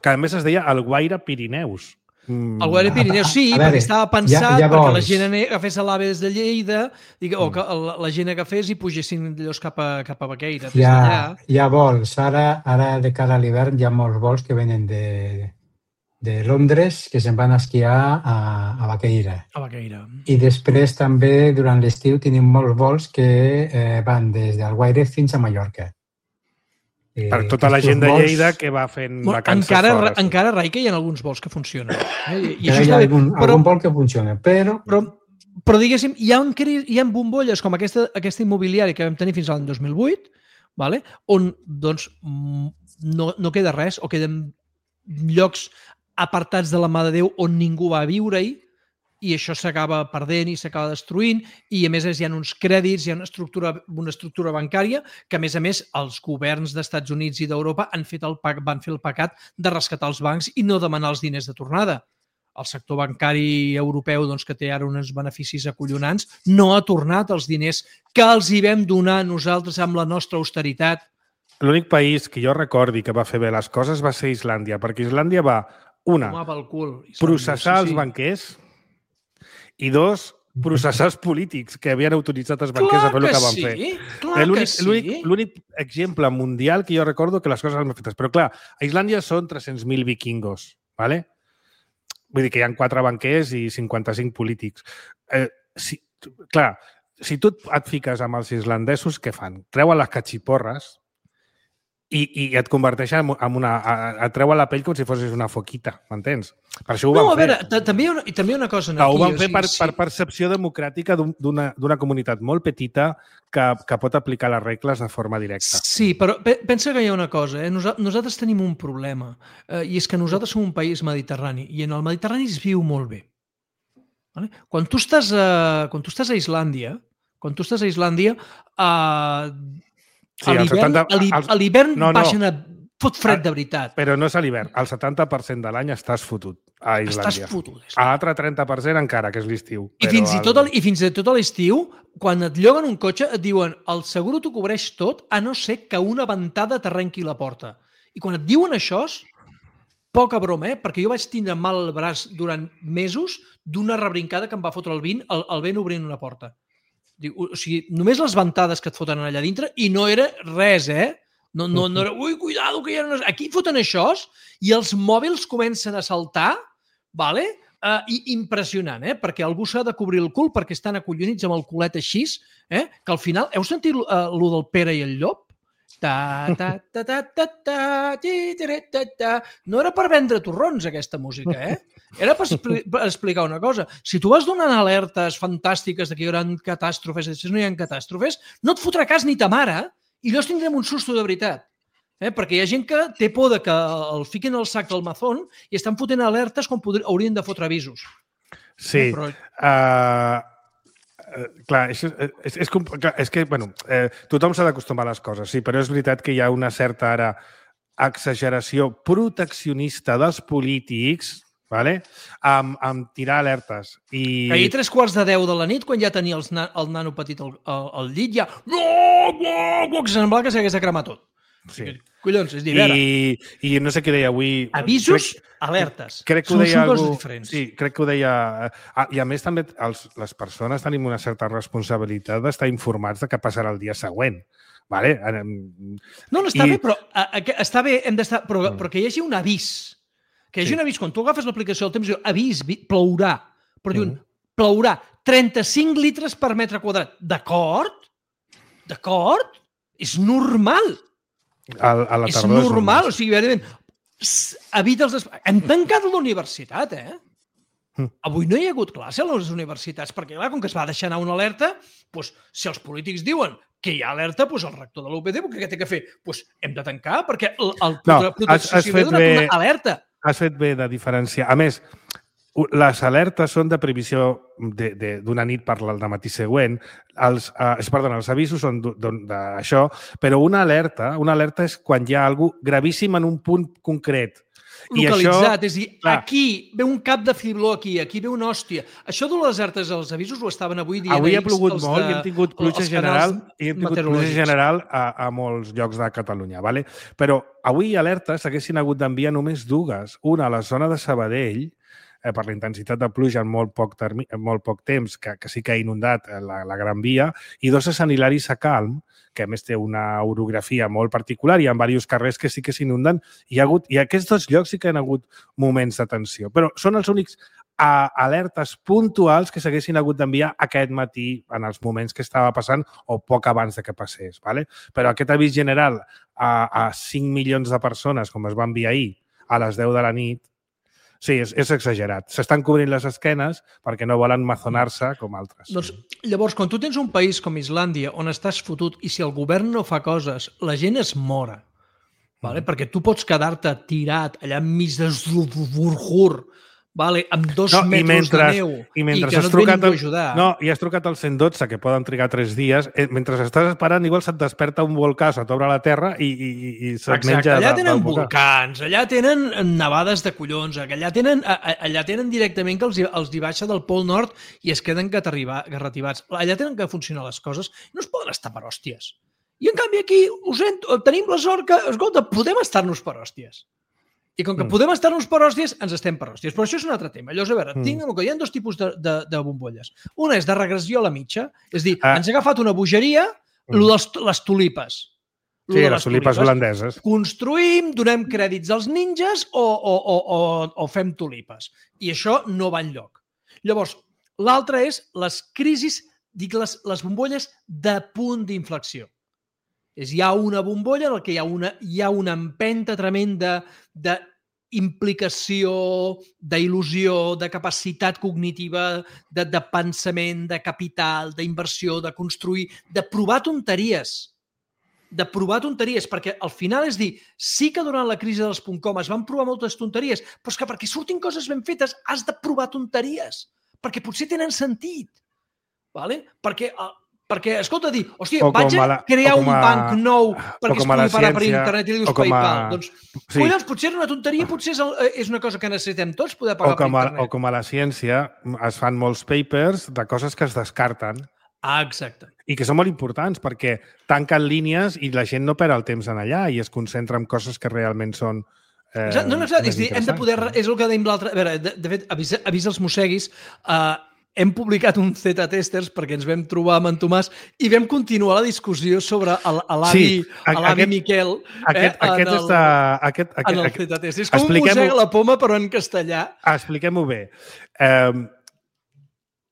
[SPEAKER 2] Que a més es deia el Guaire Pirineus.
[SPEAKER 4] El Guaire Pirineus, sí, perquè estava pensat perquè la gent agafés l'AVE des de Lleida o que la gent agafés i pugessin d'allòs cap a Baqueira.
[SPEAKER 3] Hi ha vols. Ara, de cara a l'hivern, hi ha molts vols que venen de Londres que se'n van a esquiar a Baqueira. I després també durant l'estiu tenim molts vols que van des d'Alguaire fins a Mallorca.
[SPEAKER 2] Per tota la gent de Lleida que va fent vacances fora.
[SPEAKER 4] Encara, Rai, que hi ha alguns vols que funcionen.
[SPEAKER 3] Hi ha algun vol que funciona, però
[SPEAKER 4] diguéssim, hi ha bombolles com aquesta immobiliària que vam tenir fins a l'any 2008, on doncs no queda res, o queden llocs apartats de la mà de Déu on ningú va viure-hi, i això s'acaba perdent i s'acaba destruint, i a més hi ha uns crèdits, hi ha una estructura bancària que, a més, els governs d'Estats Units i d'Europa van fer el pecat de rescatar els bancs i no demanar els diners de tornada. El sector bancari europeu, que té ara uns beneficis acollonants, no ha tornat els diners que els hi vam donar nosaltres amb la nostra austeritat.
[SPEAKER 2] L'únic país que jo recordi que va fer bé les coses va ser Islàndia, perquè Islàndia va, una, processar els banquers, i dos, processar els polítics que havien autoritzat els banquers a fer el que van fer.
[SPEAKER 4] Clar que sí.
[SPEAKER 2] L'únic exemple mundial que jo recordo que les coses han fet. Però clar, a Islàndia són 300.000 vikingos, ¿vale? Vull dir que hi ha 4 banquers i 55 polítics. Clar, si tu et fiques amb els islandesos, què fan? Treuen les catxiporres i et converteixen en et treuen la pell com si fossis una foquita, m'entens? Per això ho van fer.
[SPEAKER 4] No, a veure, també hi ha una cosa aquí.
[SPEAKER 2] Ho van fer per percepció democràtica d'una comunitat molt petita que pot aplicar les regles de forma directa.
[SPEAKER 4] Sí, però pensa que hi ha una cosa. Nosaltres tenim un problema, i és que nosaltres som un país mediterrani, i en el Mediterrani es viu molt bé. Quan tu estàs a Islàndia, a l'hivern baixen a fot fred de veritat.
[SPEAKER 2] Però no és a l'hivern. El 70% de l'any estàs fotut a Islàndia.
[SPEAKER 4] Estàs fotut.
[SPEAKER 2] L'altre 30% encara, que és l'estiu.
[SPEAKER 4] I fins i tot a l'estiu, quan et lloguen un cotxe, et diuen el seguro t'ho cobreix tot, a no ser que una ventada t'arrenqui la porta. I quan et diuen això, poca broma, perquè jo vaig tindre mal al braç durant mesos d'una rebrincada que em va fotre el vent obrint una porta. O sigui, només les ventades que et foten allà dintre, i no era res, No era, ui, cuidado, que ja no... Aquí foten això i els mòbils comencen a saltar, i impressionant, perquè algú s'ha de cobrir el cul perquè estan acollonits amb el culet així, que al final... Heu sentit lo del Pere i el Llop? No era per vendre torrons, aquesta música, Era per explicar una cosa. Si tu vas donant alertes fantàstiques que hi haurà catàstrofes, i no hi ha catàstrofes, no et fotrà cas ni ta mare, i llavors tindrem un susto de veritat. Perquè hi ha gent que té por que el fiquin al sac del mazón i estan fotent alertes quan haurien de fotre avisos.
[SPEAKER 2] Sí. Clar, és que, bueno, tothom s'ha d'acostumar a les coses, sí, però és veritat que hi ha una certa ara exageració proteccionista dels polítics, amb tirar alertes.
[SPEAKER 4] Ahir 3:15 de la nit, quan ja tenia el nano petit al llit, ja... No! Que semblava que s'hagués de cremar tot.
[SPEAKER 2] Sí.
[SPEAKER 4] Collons, és d'hivern.
[SPEAKER 2] I no sé què deia avui...
[SPEAKER 4] Avisos, alertes.
[SPEAKER 2] Crec que ho deia
[SPEAKER 4] algú... diferents.
[SPEAKER 2] Sí, crec que ho deia... I a més també les persones tenim una certa responsabilitat d'estar informats de què passarà el dia següent.
[SPEAKER 4] No, està bé, però està bé, hem d'estar... Però que hi hagi un avís. Que hi hagi un avís. Quan tu agafes l'aplicació del temps, diu avís, plourà. Però diuen, plourà 35 litres per metre quadrat. D'acord? D'acord? És normal. És normal. O sigui, evita els... Hem tancat la universitat, Avui no hi ha hagut classe a les universitats, perquè, clar, com que es va deixar anar una alerta, si els polítics diuen que hi ha alerta, el rector de l'UPD, què té que fer? Hem de tancar, perquè el protecció civil ha donat una alerta.
[SPEAKER 2] Has fet bé de diferenciar. A més, les alertes són de previsió d'una nit per al matí següent. Els avisos són d'això, però una alerta és quan hi ha alguna cosa gravíssim en un punt concret.
[SPEAKER 4] localitzat. És a dir, aquí ve un cap de fibló aquí ve una hòstia. Això de les alertes als avisos ho estaven avui dient.
[SPEAKER 2] Avui ha plogut molt i hem tingut pluja general a molts llocs de Catalunya. Vale? Però avui alertes s'haguessin hagut d'enviar només dues. Una a la zona de Sabadell, per la intensitat de pluja en molt poc temps, que sí que ha inundat la Gran Via, i dos a Sant Hilari Sacalm, que a més té una orografia molt particular i hi ha diversos carrers que sí que s'inunden. I aquests dos llocs sí que han hagut moments de tensió. Però són els únics alertes puntuals que s'haguessin hagut d'enviar aquest matí en els moments que estava passant o poc abans de que passés. Vale? Però aquest avís general a 5 milions de persones, com es va enviar ahir, a les 10 de la nit, sí, és exagerat. S'estan cobrint les esquenes perquè no volen mazonar-se com altres.
[SPEAKER 4] Doncs, llavors, quan tu tens un país com Islàndia on estàs fotut i si el govern no fa coses, la gent es mora. Vale? Perquè tu pots quedar-te tirat allà enmig de Zurhur, amb 2 metres de neu i que no et ve ningú a ajudar.
[SPEAKER 2] No, i has trucat al 112, que poden trigar 3 dies. Mentre estàs esperant, igual se't desperta un volcà, se t'obre la terra i se't menja...
[SPEAKER 4] Allà tenen volcans, allà tenen nevades de collons, allà tenen directament que els hi baixa del Pol Nord i es queden garrativats. Allà tenen que funcionar les coses. No es poden estar per hòsties. I en canvi aquí tenim la sort que, escolta, podem estar-nos per hòsties. I com que podem estar-nos per hòsties, ens estem per hòsties. Però això és un altre tema. Llavors, a veure, hi ha 2 tipus de bombolles. Una és de regressió a la mitja, és dir, ens ha agafat una bogeria, les tulipes.
[SPEAKER 2] Sí, les tulipes holandeses.
[SPEAKER 4] Construïm, donem crèdits als ninjas o fem tulipes. I això no va enlloc. Llavors, l'altre és les crisis, dic les bombolles de punt d'inflexió. Hi ha una bombolla en què hi ha una empenta tremenda d'implicació, d'il·lusió, de capacitat cognitiva, de pensament, de capital, d'inversió, de construir, de provar tonteries. Perquè al final és dir, sí que durant la crisi dels .com es van provar moltes tonteries, però és que perquè surtin coses ben fetes has de provar tonteries, perquè potser tenen sentit. Perquè, escolta, dir, hòstia, vaig a crear un banc nou perquè es pugui pagar per internet i li dius PayPal. Doncs, collons, potser és una tonteria, potser és una cosa que necessitem tots poder pagar per internet.
[SPEAKER 2] O com a la ciència es fan molts papers de coses que es descarten.
[SPEAKER 4] Exacte.
[SPEAKER 2] I que són molt importants perquè tanquen línies i la gent no perd el temps en allà i es concentra en coses que realment són
[SPEAKER 4] no, és dir, hem de poder... És el que dèiem l'altre... A veure, de fet, avís els mosseguis... Hem publicat un Z-Testers perquè ens vam trobar amb en Tomàs i vam continuar la discussió sobre l'avi Miquel en el Z-Testers. És com un mossega la poma però en castellà.
[SPEAKER 2] Expliquem-ho bé.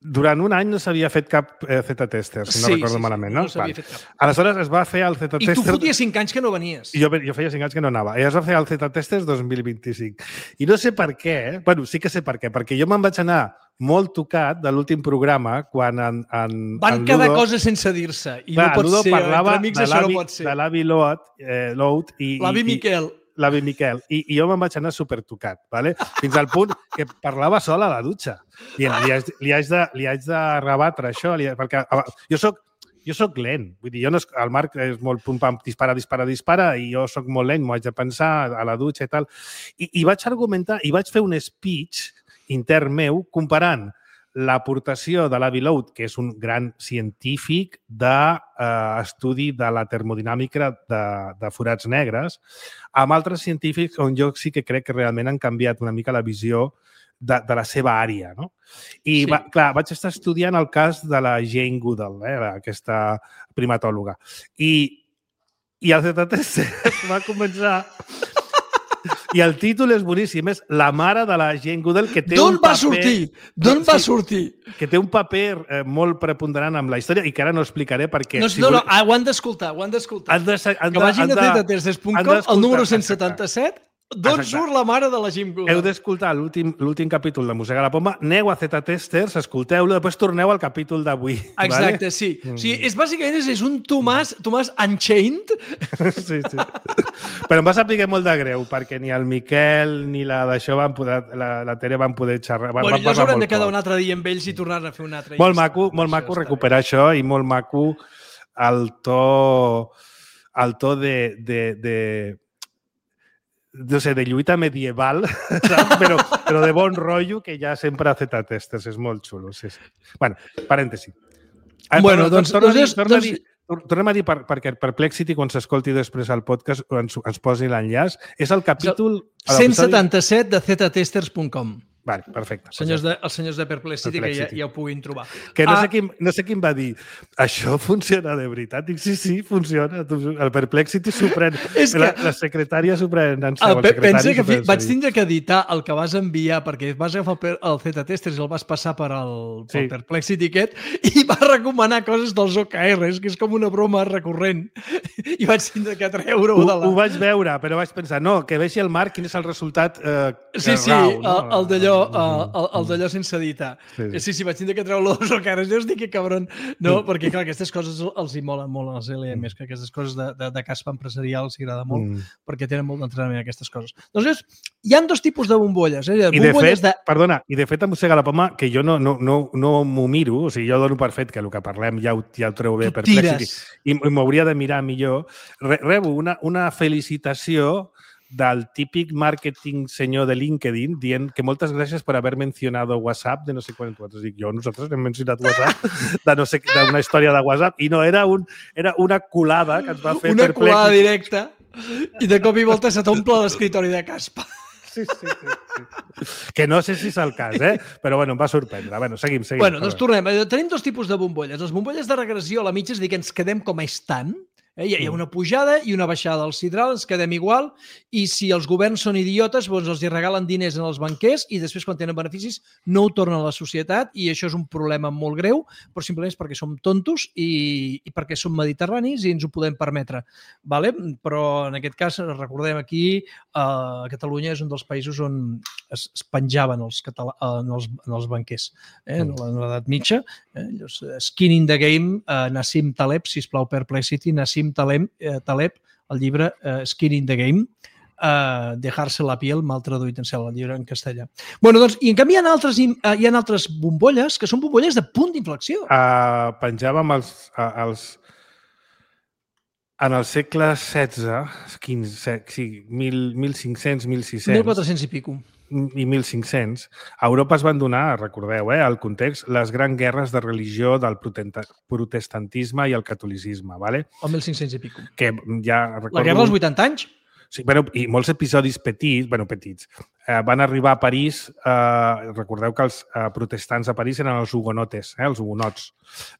[SPEAKER 2] Durant un any no s'havia fet cap Z-Testers, si no recordo malament, no?
[SPEAKER 4] No s'havia fet cap.
[SPEAKER 2] Aleshores es va fer el Z-Testers...
[SPEAKER 4] I tu foties 5 anys que no venies.
[SPEAKER 2] Jo feia 5 anys que no anava. I es va fer el Z-Testers 2025. I no sé per què, bueno, sí que sé per què, perquè jo me'n vaig anar molt tocat de l'últim programa quan
[SPEAKER 4] van quedar coses sense dir-se i no pot ser, entre amics això no pot ser.
[SPEAKER 2] De l'avi Lout i...
[SPEAKER 4] L'avi Miquel.
[SPEAKER 2] L'avi Miquel. I jo me'n vaig anar supertocat, ¿vale? Fins al punt que parlava sol a la dutxa. Li haig de rebatre això, perquè jo soc lent. Vull dir, el Marc és molt pum-pam, dispara, i jo soc molt lent, m'ho haig de pensar a la dutxa i tal. I vaig argumentar, i vaig fer un speech intern meu comparant l'aportació de l'avi Lout, que és un gran científic d'estudi de la termodinàmica de forats negres, amb altres científics on jo sí que crec que realment han canviat una mica la visió de la seva àrea. No? I, clar, vaig estar estudiant el cas de la Jane Goodall, aquesta primatòloga. I el Z-Testers va començar... I el títol és boníssim, és La mare de la Jane Goodall, que té un paper...
[SPEAKER 4] D'on va sortir?
[SPEAKER 2] Que té un paper molt preponderant amb la història i que ara no explicaré perquè...
[SPEAKER 4] No, ho han d'escoltar, Que vagin a Z-Testers.com, el número 177, d'on surt la mare de la Jane Goodall.
[SPEAKER 2] Heu d'escoltar l'últim capítol de Mossega la Poma, aneu a Z-Testers, escolteu-lo, després torneu al capítol d'avui.
[SPEAKER 4] Exacte, sí. O sigui, bàsicament és un Tomàs Unchained.
[SPEAKER 2] Sí. Però em va saber molt de greu, perquè ni el Miquel ni la d'això van poder, la Tere van poder xerrar.
[SPEAKER 4] Bueno, llavors haurem de quedar un altre dia amb ells i tornar a fer un altre.
[SPEAKER 2] Molt maco recuperar això i molt maco el to no sé, de lluita medieval, saps? Però de bon rotllo, que ja sempre ha Z testers, és molt xulo. Sí. Bueno, parèntesi.
[SPEAKER 4] Bueno, doncs...
[SPEAKER 2] Tornem a dir perquè Perplexity, quan s'escolti després al podcast, ens posi l'enllaç. És el capítol...
[SPEAKER 4] 177 de ztesters.com.
[SPEAKER 2] Vale, perfecte.
[SPEAKER 4] Els senyors de Perplexity, que ja ho puguin trobar.
[SPEAKER 2] Que no sé qui em va dir, això funciona de veritat? Dic, sí, funciona. El Perplexity s'ho pren. La secretària s'ho pren en seu.
[SPEAKER 4] Pensa que vaig tindre que editar el que vas enviar, perquè vas agafar el Z-Testers i el vas passar pel Perplexity aquest, i vas recomanar coses dels OKRs, que és com una broma recurrent. I vaig tindre que treure-ho de la...
[SPEAKER 2] Ho vaig veure, però vaig pensar, no, que vegi el Marc quin és el resultat
[SPEAKER 4] Sí, el d'allò sense editar. Sí, vaig tindre que treure els OKRs. Jo us dic que cabron. No, perquè clar, aquestes coses els hi molen molt als LMs, que aquestes coses de caspa empresarial els agrada molt, perquè tenen molt d'entrenament aquestes coses. Doncs hi ha dos tipus de bombolles.
[SPEAKER 2] I de fet em mossega la poma que jo no m'ho miro, o sigui, jo dono per fet que el que parlem ja ho treu bé Perplexity i m'hauria de mirar millor. Rebo una felicitació del típic marketing senyor de LinkedIn dient que moltes gràcies per haver mencionado WhatsApp de no sé quant. Dic, nosaltres hem mencionat WhatsApp d'una història de WhatsApp i no, era una colada que ens va fer
[SPEAKER 4] una colada directa i de cop i volta se t'omple l'escritori de caspa.
[SPEAKER 2] Sí. Que no sé si és el cas, però bueno, em va sorprendre. Bueno, seguim.
[SPEAKER 4] Bueno, doncs tornem. Tenim dos tipus de bombolles. Les bombolles de regressió a la mitja és dir que ens quedem com estan. Hi ha una pujada i una baixada del sidral, ens quedem igual, i si els governs són idiotes, doncs els regalen diners als banquers i després, quan tenen beneficis, no ho tornen a la societat, i això és un problema molt greu, però simplement és perquè som tontos i perquè som mediterranis i ens ho podem permetre. Vale? Però en aquest cas, recordem aquí, Catalunya és un dels països on es penjaven els banquers en l'edat mitja. Skin in the Game, Nassim Taleb, sisplau, Perplexity, Nassim Taleb, el llibre Skin in the Game, Dejarse la piel, mal traduït en el llibre en castellà. Bueno, doncs, i en canvi hi ha altres bombolles que són bombolles de punt d'inflexió.
[SPEAKER 2] Penjàvem en el segle XVI, 1500, 1600...
[SPEAKER 4] 1400 i pico.
[SPEAKER 2] I 1500, a Europa es van donar, recordeu, el context, les grans guerres de religió del protestantisme i el catolicisme, ¿vale?
[SPEAKER 4] O 1500 i pico.
[SPEAKER 2] Que ja recordo...
[SPEAKER 4] La guerra dels 80 anys?
[SPEAKER 2] Sí, i molts episodis petits. Van arribar a París, recordeu que els protestants a París eren els hugonotes, els hugonots.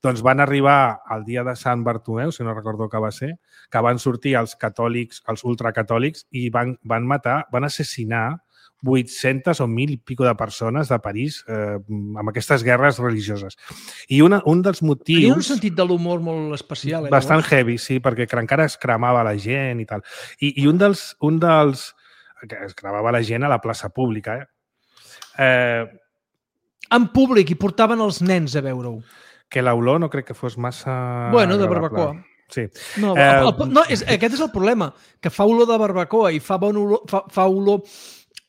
[SPEAKER 2] Doncs van arribar al dia de Sant Bartomeu, si no recordo que va ser, que van sortir els catòlics, els ultracatòlics, i van assassinar 800 o 1.000 i pico de persones de París amb aquestes guerres religioses. I un dels motius...
[SPEAKER 4] Tenia un sentit de l'humor molt especial.
[SPEAKER 2] Bastant heavy, sí, perquè encara es cremava la gent i tal. I un dels... que es cremava la gent a la plaça pública.
[SPEAKER 4] En públic, i portaven els nens a veure-ho.
[SPEAKER 2] Que l'olor no crec que fos massa...
[SPEAKER 4] Bueno, de barbacoa.
[SPEAKER 2] Sí.
[SPEAKER 4] No, aquest és el problema, que fa olor de barbacoa i fa bon olor... Fa olor...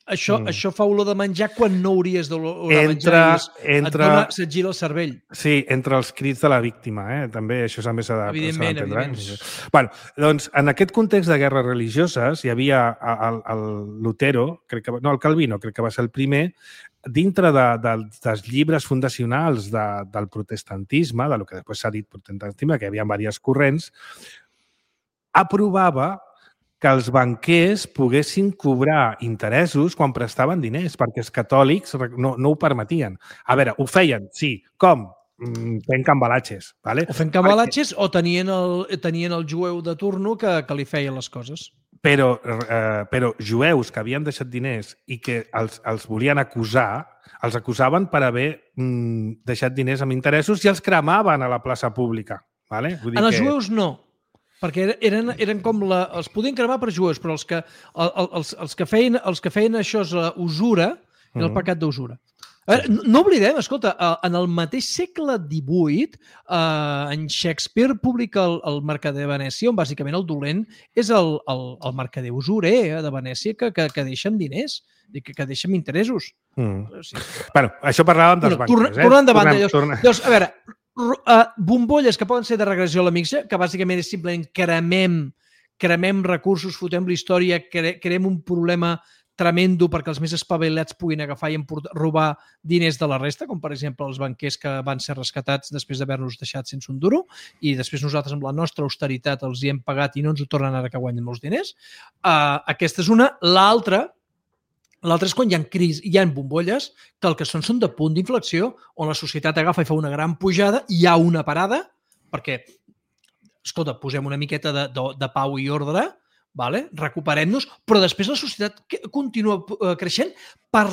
[SPEAKER 4] Això fa olor de menjar quan no hauries d'olor de menjar. Se't gira el cervell.
[SPEAKER 2] Sí, entre els crits de la víctima. També això també s'ha d'entendre.
[SPEAKER 4] Evidentment.
[SPEAKER 2] Bueno, doncs, en aquest context de guerres religioses hi havia el Lutero, el Calvino, crec que va ser el primer, dintre dels llibres fundacionals del protestantisme, del que després s'ha dit protestantisme, que hi havia diverses corrents, aprovava que els banquers poguessin cobrar interessos quan prestaven diners, perquè els catòlics no ho permetien. A veure, ho feien, sí. Com? Fent cambalatges. Vale?
[SPEAKER 4] O fent cambalatges o tenien el jueu de turno que li feia les coses.
[SPEAKER 2] Però jueus que havien deixat diners i que els volien acusar, els acusaven per haver deixat diners amb interessos i els cremaven a la plaça pública. Vale?
[SPEAKER 4] En els jueus no. Perquè eren com els podien cremar per jueus, però els que feien això és usura, era el pecat d'usura. No oblidem, escolta, en el mateix segle XVIII, en Shakespeare publica el Mercader de Venècia, on bàsicament el dolent és el mercader usurer de Venècia que deixa amb diners, que deixa amb interessos.
[SPEAKER 2] Bueno, això parlàvem dels banquers.
[SPEAKER 4] Tornant endavant. Llavors, a veure, bombolles que poden ser de regressió a la mitja, que bàsicament és simplement cremem cremem recursos, fotem la història, creem un problema tremendo perquè els més espavilats puguin agafar i robar diners de la resta, com per exemple els banquers que van ser rescatats després d'haver-nos deixat sense un duro i després nosaltres amb la nostra austeritat els hi hem pagat i no ens ho tornen ara que guanyen molts diners. Aquesta és una. L'altra és quan hi ha bombolles que el que són de punt d'inflexió on la societat agafa i fa una gran pujada, hi ha una parada perquè, escolta, posem una miqueta de pau i ordre, vale? Recuperem-nos, però després la societat continua creixent per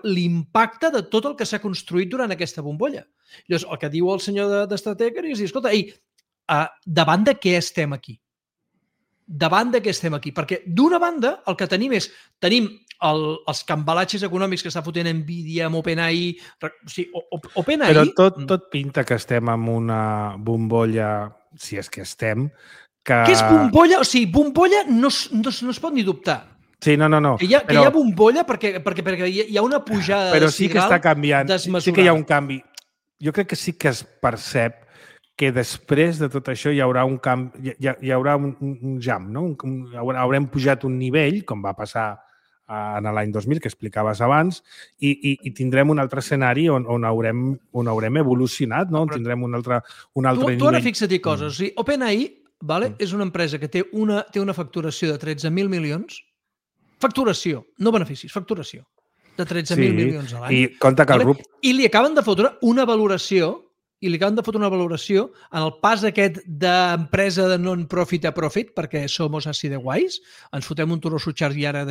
[SPEAKER 4] l'impacte de tot el que s'ha construït durant aquesta bombolla. Llavors, el que diu el senyor d'Estratègia és dir, escolta, davant de què estem aquí? Davant de què estem aquí? Perquè d'una banda el que tenim els cambalatges econòmics que està fotent Nvidia amb OpenAI. OpenAI...
[SPEAKER 2] Però tot pinta que estem en una bombolla, si és que estem, que...
[SPEAKER 4] Què és bombolla? O sigui, bombolla no es pot ni dubtar.
[SPEAKER 2] Sí, no.
[SPEAKER 4] Que hi ha bombolla perquè hi ha una pujada
[SPEAKER 2] però sí que està canviant.
[SPEAKER 4] desmesurada.
[SPEAKER 2] Sí que hi ha un canvi. Jo crec que sí que es percep que després de tot això hi haurà un canvi, hi haurà un jump, no? Haurem pujat un nivell, com va passar en l'any 2000, que explicaves abans, i tindrem un altre escenari on haurem evolucionat, no? Tindrem un altre nivell.
[SPEAKER 4] Tu ara fixa't-hi coses. O sigui, OpenAI és una empresa que té una facturació de 13.000 milions. Facturació, no beneficis, facturació de 13.000 milions a l'any.
[SPEAKER 2] I compte que el grup...
[SPEAKER 4] I li acaben de fotre una valoració en el pas aquest d'empresa de non-profit a profit, perquè somos així de guais, ens fotem un turó sutxar i ara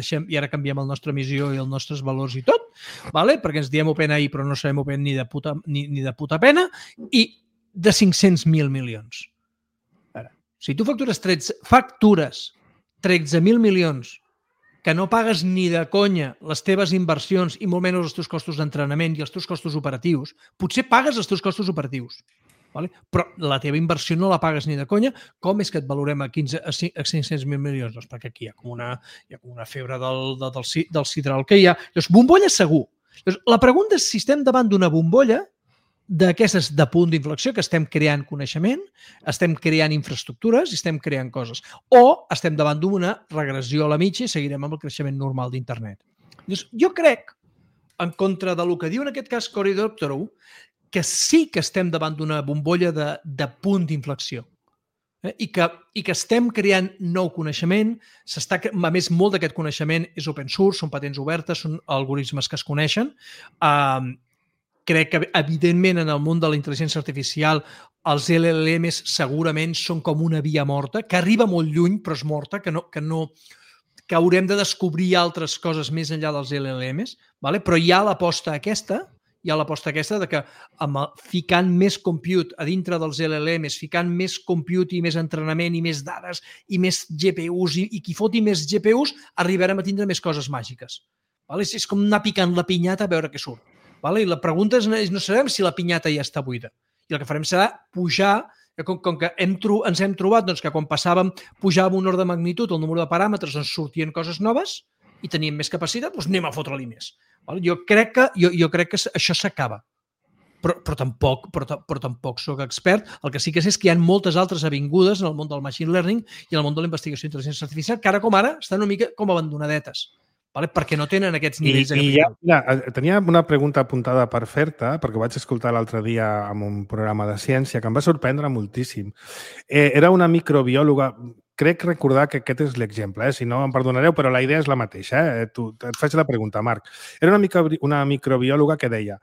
[SPEAKER 4] canviem la nostra missió i els nostres valors i tot, perquè ens diem OpenAI però no sabem Open ni de puta pena, i de 500.000 milions. Si tu factures 13.000 milions que no pagues ni de conya les teves inversions i molt menys els teus costos d'entrenament i els teus costos operatius, potser pagues els teus costos operatius, però la teva inversió no la pagues ni de conya, com és que et valorem a 500.000 milions? Doncs perquè aquí hi ha com una febre del sidral que hi ha. Llavors, bombolla segur. Llavors, la pregunta és si estem davant d'una bombolla d'aquestes de punt d'inflexió, que estem creant coneixement, estem creant infraestructures i estem creant coses. O estem davant d'una regressió a la mitja i seguirem amb el creixement normal d'internet. Jo crec, en contra del que diu en aquest cas Cory Doctorow, que sí que estem davant d'una bombolla de punt d'inflexió. I que estem creant nou coneixement. A més, molt d'aquest coneixement és open source, són patents obertes, són algoritmes que es coneixen. Crec que, evidentment, en el món de la intel·ligència artificial, els LLMs segurament són com una via morta, que arriba molt lluny, però és morta, que haurem de descobrir altres coses més enllà dels LLMs, però hi ha l'aposta aquesta de que ficant més compute a dintre dels LLMs, ficant més compute i més entrenament i més dades i més GPUs i qui foti més GPUs, arribarem a tindre més coses màgiques. És com anar picant la pinyata a veure què surt. I la pregunta és, no sabem si la pinyata ja està buida. I el que farem serà pujar, com que ens hem trobat que quan pujàvem un ordre de magnitud, el número de paràmetres, ens sortien coses noves i teníem més capacitat, doncs anem a fotre-li més. Jo crec que això s'acaba. Però tampoc soc expert. El que sí que sé és que hi ha moltes altres avingudes en el món del machine learning i en el món de la investigació d'intel·ligència artificial que ara com ara estan una mica com abandonadetes. Perquè no tenen aquests nivells de capacitat.
[SPEAKER 2] Tenia una pregunta apuntada per fer-te, perquè ho vaig escoltar l'altre dia en un programa de ciència que em va sorprendre moltíssim. Era una microbiòloga, crec recordar que aquest és l'exemple, si no em perdonareu, però la idea és la mateixa. Et faig la pregunta, Marc. Era una microbiòloga que deia: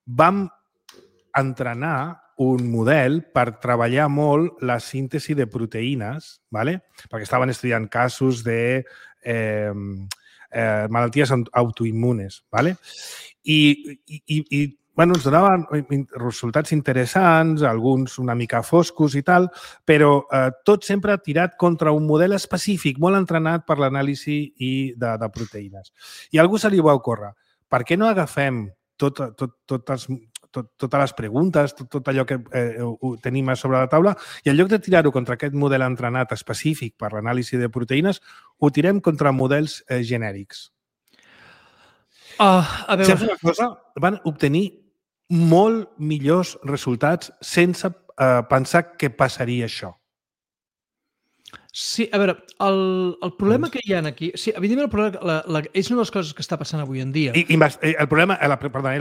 [SPEAKER 2] vam entrenar un model per treballar molt la síntesi de proteïnes, perquè estaven estudiant casos de malalties autoimmunes. I ens donaven resultats interessants, alguns una mica foscos i tal, però tot sempre tirat contra un model específic, molt entrenat per l'anàlisi de proteïnes. I a algú se li va ocórrer: per què no agafem totes les preguntes, tot allò que tenim a sobre la taula, i en lloc de tirar-ho contra aquest model entrenat específic per l'anàlisi de proteïnes, ho tirem contra models genèrics?
[SPEAKER 4] A veure...
[SPEAKER 2] Saps una cosa? Van obtenir molt millors resultats sense pensar que passaria això.
[SPEAKER 4] Sí, a veure, el problema que hi ha aquí... Sí, evidentment, el problema, és una de les coses que està passant avui en dia.
[SPEAKER 2] El problema, la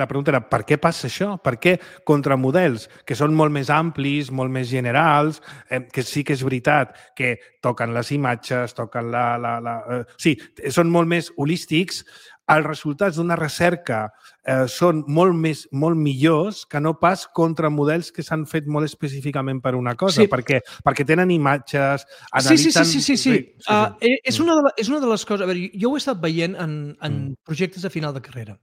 [SPEAKER 2] pregunta era per què passa això? Per què contra models que són molt més amplis, molt més generals, que sí que és veritat que toquen les imatges, toquen sí, són molt més holístics, els resultats d'una recerca són molt millors que no pas contra models que s'han fet molt específicament per una cosa, perquè tenen imatges, analitzen...
[SPEAKER 4] Sí. És una de les coses... A veure, jo ho he estat veient en projectes de final de carrera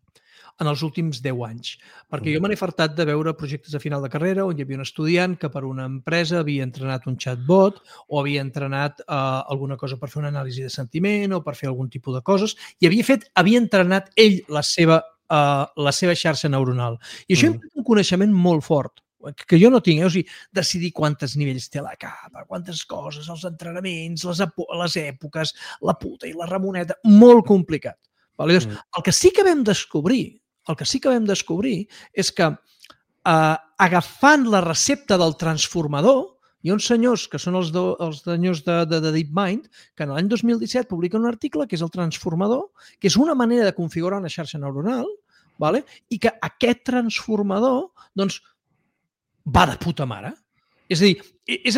[SPEAKER 4] en els últims 10 anys, perquè jo me n'he fartat de veure projectes de final de carrera on hi havia un estudiant que per una empresa havia entrenat un chatbot o havia entrenat alguna cosa per fer una anàlisi de sentiment o per fer algun tipus de coses i havia entrenat ell la seva xarxa neuronal. I això implica un coneixement molt fort, que jo no tinc, o sigui, decidir quantes nivells té la capa, quantes coses, els entrenaments, les èpoques, la puta i la ramoneta, molt complicat. El que sí que vam descobrir és que agafant la recepta del transformador, hi ha uns senyors que són els senyors de DeepMind que en l'any 2017 publiquen un article que és el transformador, que és una manera de configurar una xarxa neuronal, i que aquest transformador va de puta mare. És a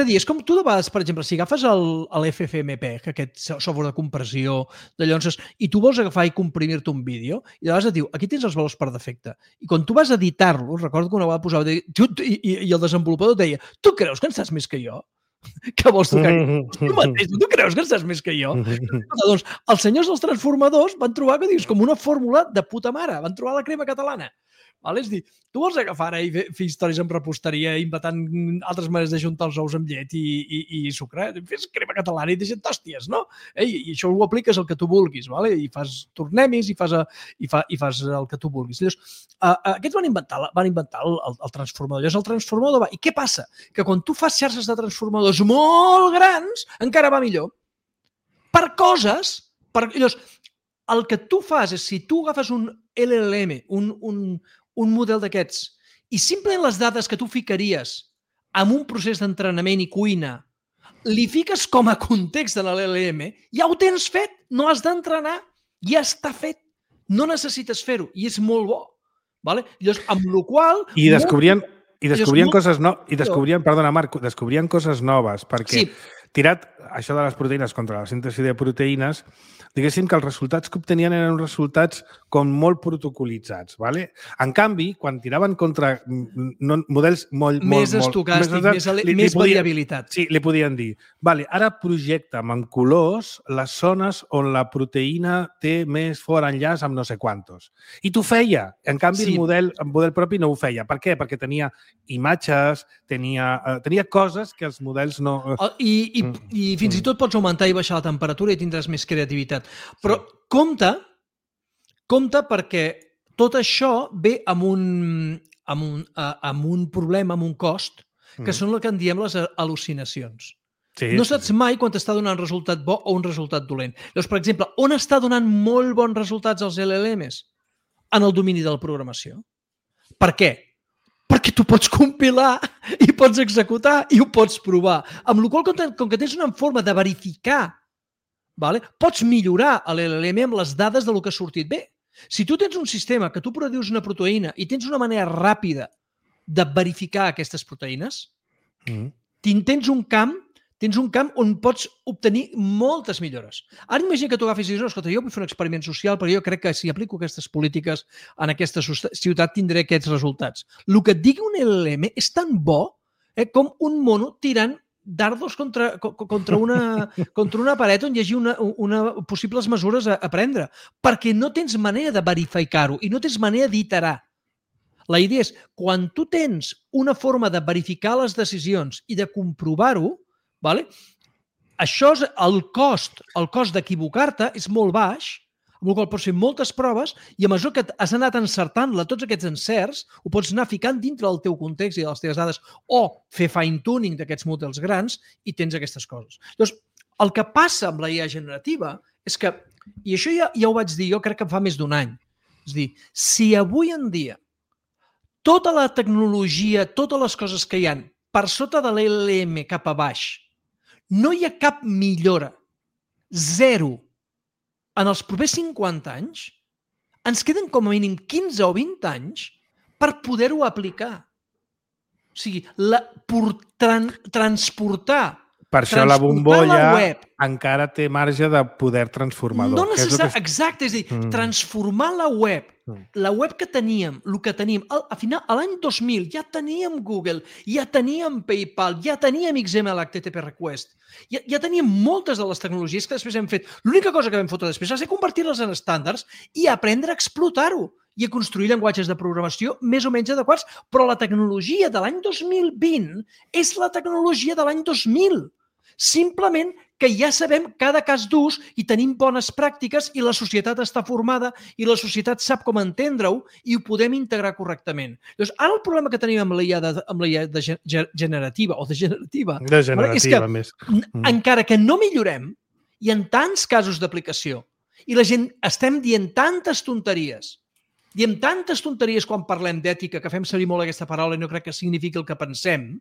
[SPEAKER 4] dir, és com tu de vegades, per exemple, si agafes l'FFmpeg, aquest software de compressió, i tu vols agafar i comprimir-te un vídeo, i de vegades et diu, aquí tens els valors per defecte. I quan tu vas editar-lo, recordo que una vegada posava, i el desenvolupador deia, tu creus que en saps més que jo? Que vols tocar? Tu mateix, tu creus que en saps més que jo? Doncs els senyors dels transformadors van trobar que dius com una fórmula de puta mare, van trobar la crema catalana. És dir, tu vols agafar i fer històries amb reposteria inventant altres maneres de juntar els ous amb llet i sucre, fes crema catalana i deixa't hòsties, no? I això ho apliques al que tu vulguis, i fas tornemis i fas el que tu vulguis. Aquests van inventar el transformador. Llavors el transformador va... I què passa? Que quan tu fas xarxes de transformadors molt grans, encara va millor. Per coses... Llavors, el que tu fas és, si tu agafes un LLM, un model d'aquests, i simplement les dades que tu ficaries en un procés d'entrenament i cuina, li fiques com a context de l'LLM, ja ho tens fet, no has d'entrenar, ja està fet, no necessites fer-ho, i és molt bo. Llavors, amb la qual...
[SPEAKER 2] I descobrien coses noves, perdona Marc, descobrien coses noves, perquè tirat això de les proteïnes contra la síntesi de proteïnes, diguéssim que els resultats que obtenien eren resultats com molt protocolitzats. En canvi, quan tiraven contra models molt...
[SPEAKER 4] Més estocàstics, més variabilitat.
[SPEAKER 2] Sí, li podien dir, ara projecta'm en colors les zones on la proteïna té més fort enllaç amb no sé quantos. I t'ho feia. En canvi, el model propi no ho feia. Per què? Perquè tenia imatges, tenia coses que els models no...
[SPEAKER 4] I fins i tot pots augmentar i baixar la temperatura i tindràs més creativitat. Però compte perquè tot això ve amb un problema, amb un cost, que són el que en diem les al·lucinacions. No saps mai quan t'està donant resultat bo o un resultat dolent. Llavors, per exemple, on està donant molt bons resultats els LLMs? En el domini de la programació. Per què? Perquè tu pots compilar i pots executar i ho pots provar. Amb la qual cosa, com que tens una forma de verificar, pots millorar l'LLM amb les dades del que ha sortit bé. Si tu tens un sistema que tu produïs una proteïna i tens una manera ràpida de verificar aquestes proteïnes, tens un camp on pots obtenir moltes millores. Ara imagina que tu agafis i dius, escolta, jo vull fer un experiment social, però jo crec que si aplico aquestes polítiques en aquesta ciutat tindré aquests resultats. El que et digui un LLM és tan bo com un mono tirant dardos contra una paret on hi hagi possibles mesures a prendre, perquè no tens manera de verificar-ho i no tens manera d'iterar. La idea és, quan tu tens una forma de verificar les decisions i de comprovar-ho, això és el cost d'equivocar-te és molt baix, amb el qual pots fer moltes proves i a mesura que has anat encertant-la, tots aquests encerts, ho pots anar ficant dintre del teu context i de les teves dades o fer fine-tuning d'aquests models grans i tens aquestes coses. Llavors, el que passa amb la IA generativa és que, i això ja ho vaig dir jo crec que fa més d'un any, és a dir, si avui en dia tota la tecnologia, totes les coses que hi ha per sota de l'LLM cap a baix no hi ha cap millora, zero, en els propers 50 anys, ens queden com a mínim 15 o 20 anys per poder-ho aplicar. O sigui, transportar
[SPEAKER 2] per això la bombolla encara té marge de poder transformador.
[SPEAKER 4] No necessàriament, exacte, és a dir, transformar la web que teníem, el que teníem, al final, a l'any 2000 ja teníem Google, ja teníem PayPal, ja teníem XML, HTTP Request, ja teníem moltes de les tecnologies que després hem fet. L'única cosa que vam fotre després va ser convertir-les en estàndards i aprendre a explotar-ho i a construir llenguatges de programació més o menys adequats, però la tecnologia de l'any 2020 és la tecnologia de l'any 2000. Simplement que ja sabem cada cas d'ús i tenim bones pràctiques i la societat està formada i la societat sap com entendre-ho i ho podem integrar correctament. Llavors, ara el problema que tenim amb la IA generativa o degenerativa és que encara que no millorem, hi ha tants casos d'aplicació i la gent estem dient tantes tonteries, diem tantes tonteries quan parlem d'ètica, que fem servir molt aquesta paraula i no crec que signifiqui el que pensem,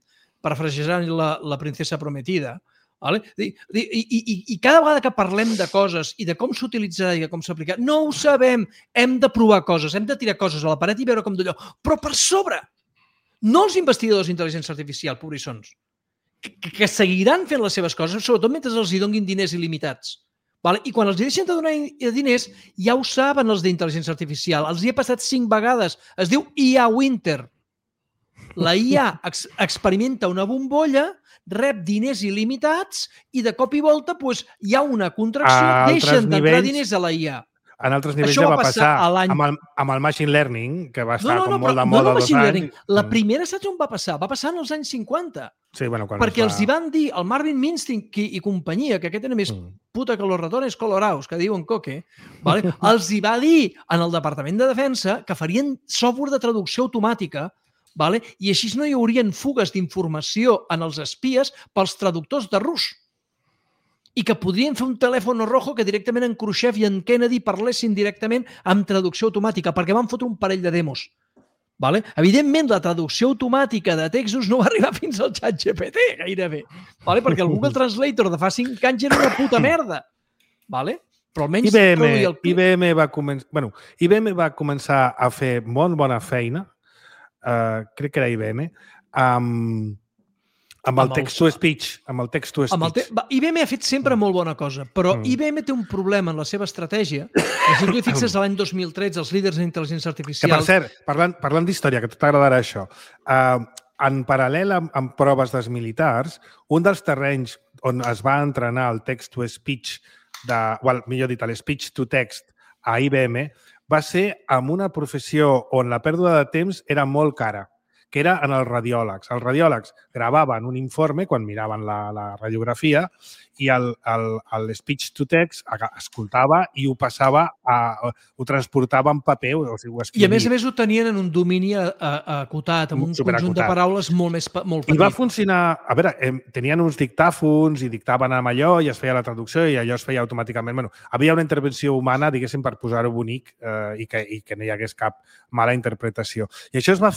[SPEAKER 4] parafrasejant la princesa prometida, vale? I cada vegada que parlem de coses i de com s'utilitzarà i de com s'aplicarà, no ho sabem, hem de provar coses, hem de tirar coses a la paret i veure com d'allò, però per sobre, no els investigadors d'intel·ligència artificial, pobrissons, que seguiran fent les seves coses, sobretot mentre els hi donin diners il·limitats. Vale? I quan els deixen de donar diners, ja ho saben els d'intel·ligència artificial. Els hi ha passat 5 vegades. Es diu IA Winter. La IA experimenta una bombolla, rep diners il·limitats i de cop i volta hi ha una contracció, deixen d'entrar diners a la IA.
[SPEAKER 2] En altres nivells ja va passar amb el machine learning, que va estar molt de moda 2 anys.
[SPEAKER 4] La primera saps on va passar? Va passar en els anys 50.
[SPEAKER 2] Sí, bueno,
[SPEAKER 4] perquè els hi van dir, el Marvin Minsky i companyia, que aquest era més puta que los ratones colorados, que diuen coque, vale? Els hi va dir en el Departament de Defensa que farien software de traducció automàtica, vale? I així no hi haurien fugues d'informació en els espies pels traductors de rus. I que podrien fer un telèfon rojo que directament en Khrushchev i en Kennedy parlessin directament amb traducció automàtica, perquè van fotre un parell de demos. Vale? Evidentment, la traducció automàtica de textos no va arribar fins al ChatGPT, gairebé. Vale? Perquè el Google Translator de fa 5 anys era una puta merda. Vale? Però almenys
[SPEAKER 2] IBM va començar a fer molt bona feina, crec que era IBM, amb el text-to-speech.
[SPEAKER 4] IBM ha fet sempre molt bona cosa, però IBM té un problema en la seva estratègia. Si tu hi fixes l'any 2013, els líders d'intel·ligència artificial...
[SPEAKER 2] Que, per cert, parlant d'història, que t'agradarà això, en paral·lel amb proves dels militars, un dels terrenys on es va entrenar el text-to-speech, millor dit, speech-to-text a IBM, va ser amb una professió on la pèrdua de temps era molt cara, que era en els radiòlegs. Els radiòlegs gravaven un informe quan miraven la radiografia i el speech-to-text escoltava i ho passava, ho transportava en paper, o sigui, ho escrivia.
[SPEAKER 4] I a més ho tenien en un domini acotat, amb un conjunt de paraules molt petit.
[SPEAKER 2] I va funcionar... A veure, tenien uns dictàfons i dictaven amb allò i es feia la traducció i allò es feia automàticament. Bueno, havia una intervenció humana, diguéssim, per posar-ho bonic i que no hi hagués cap mala interpretació. I això es va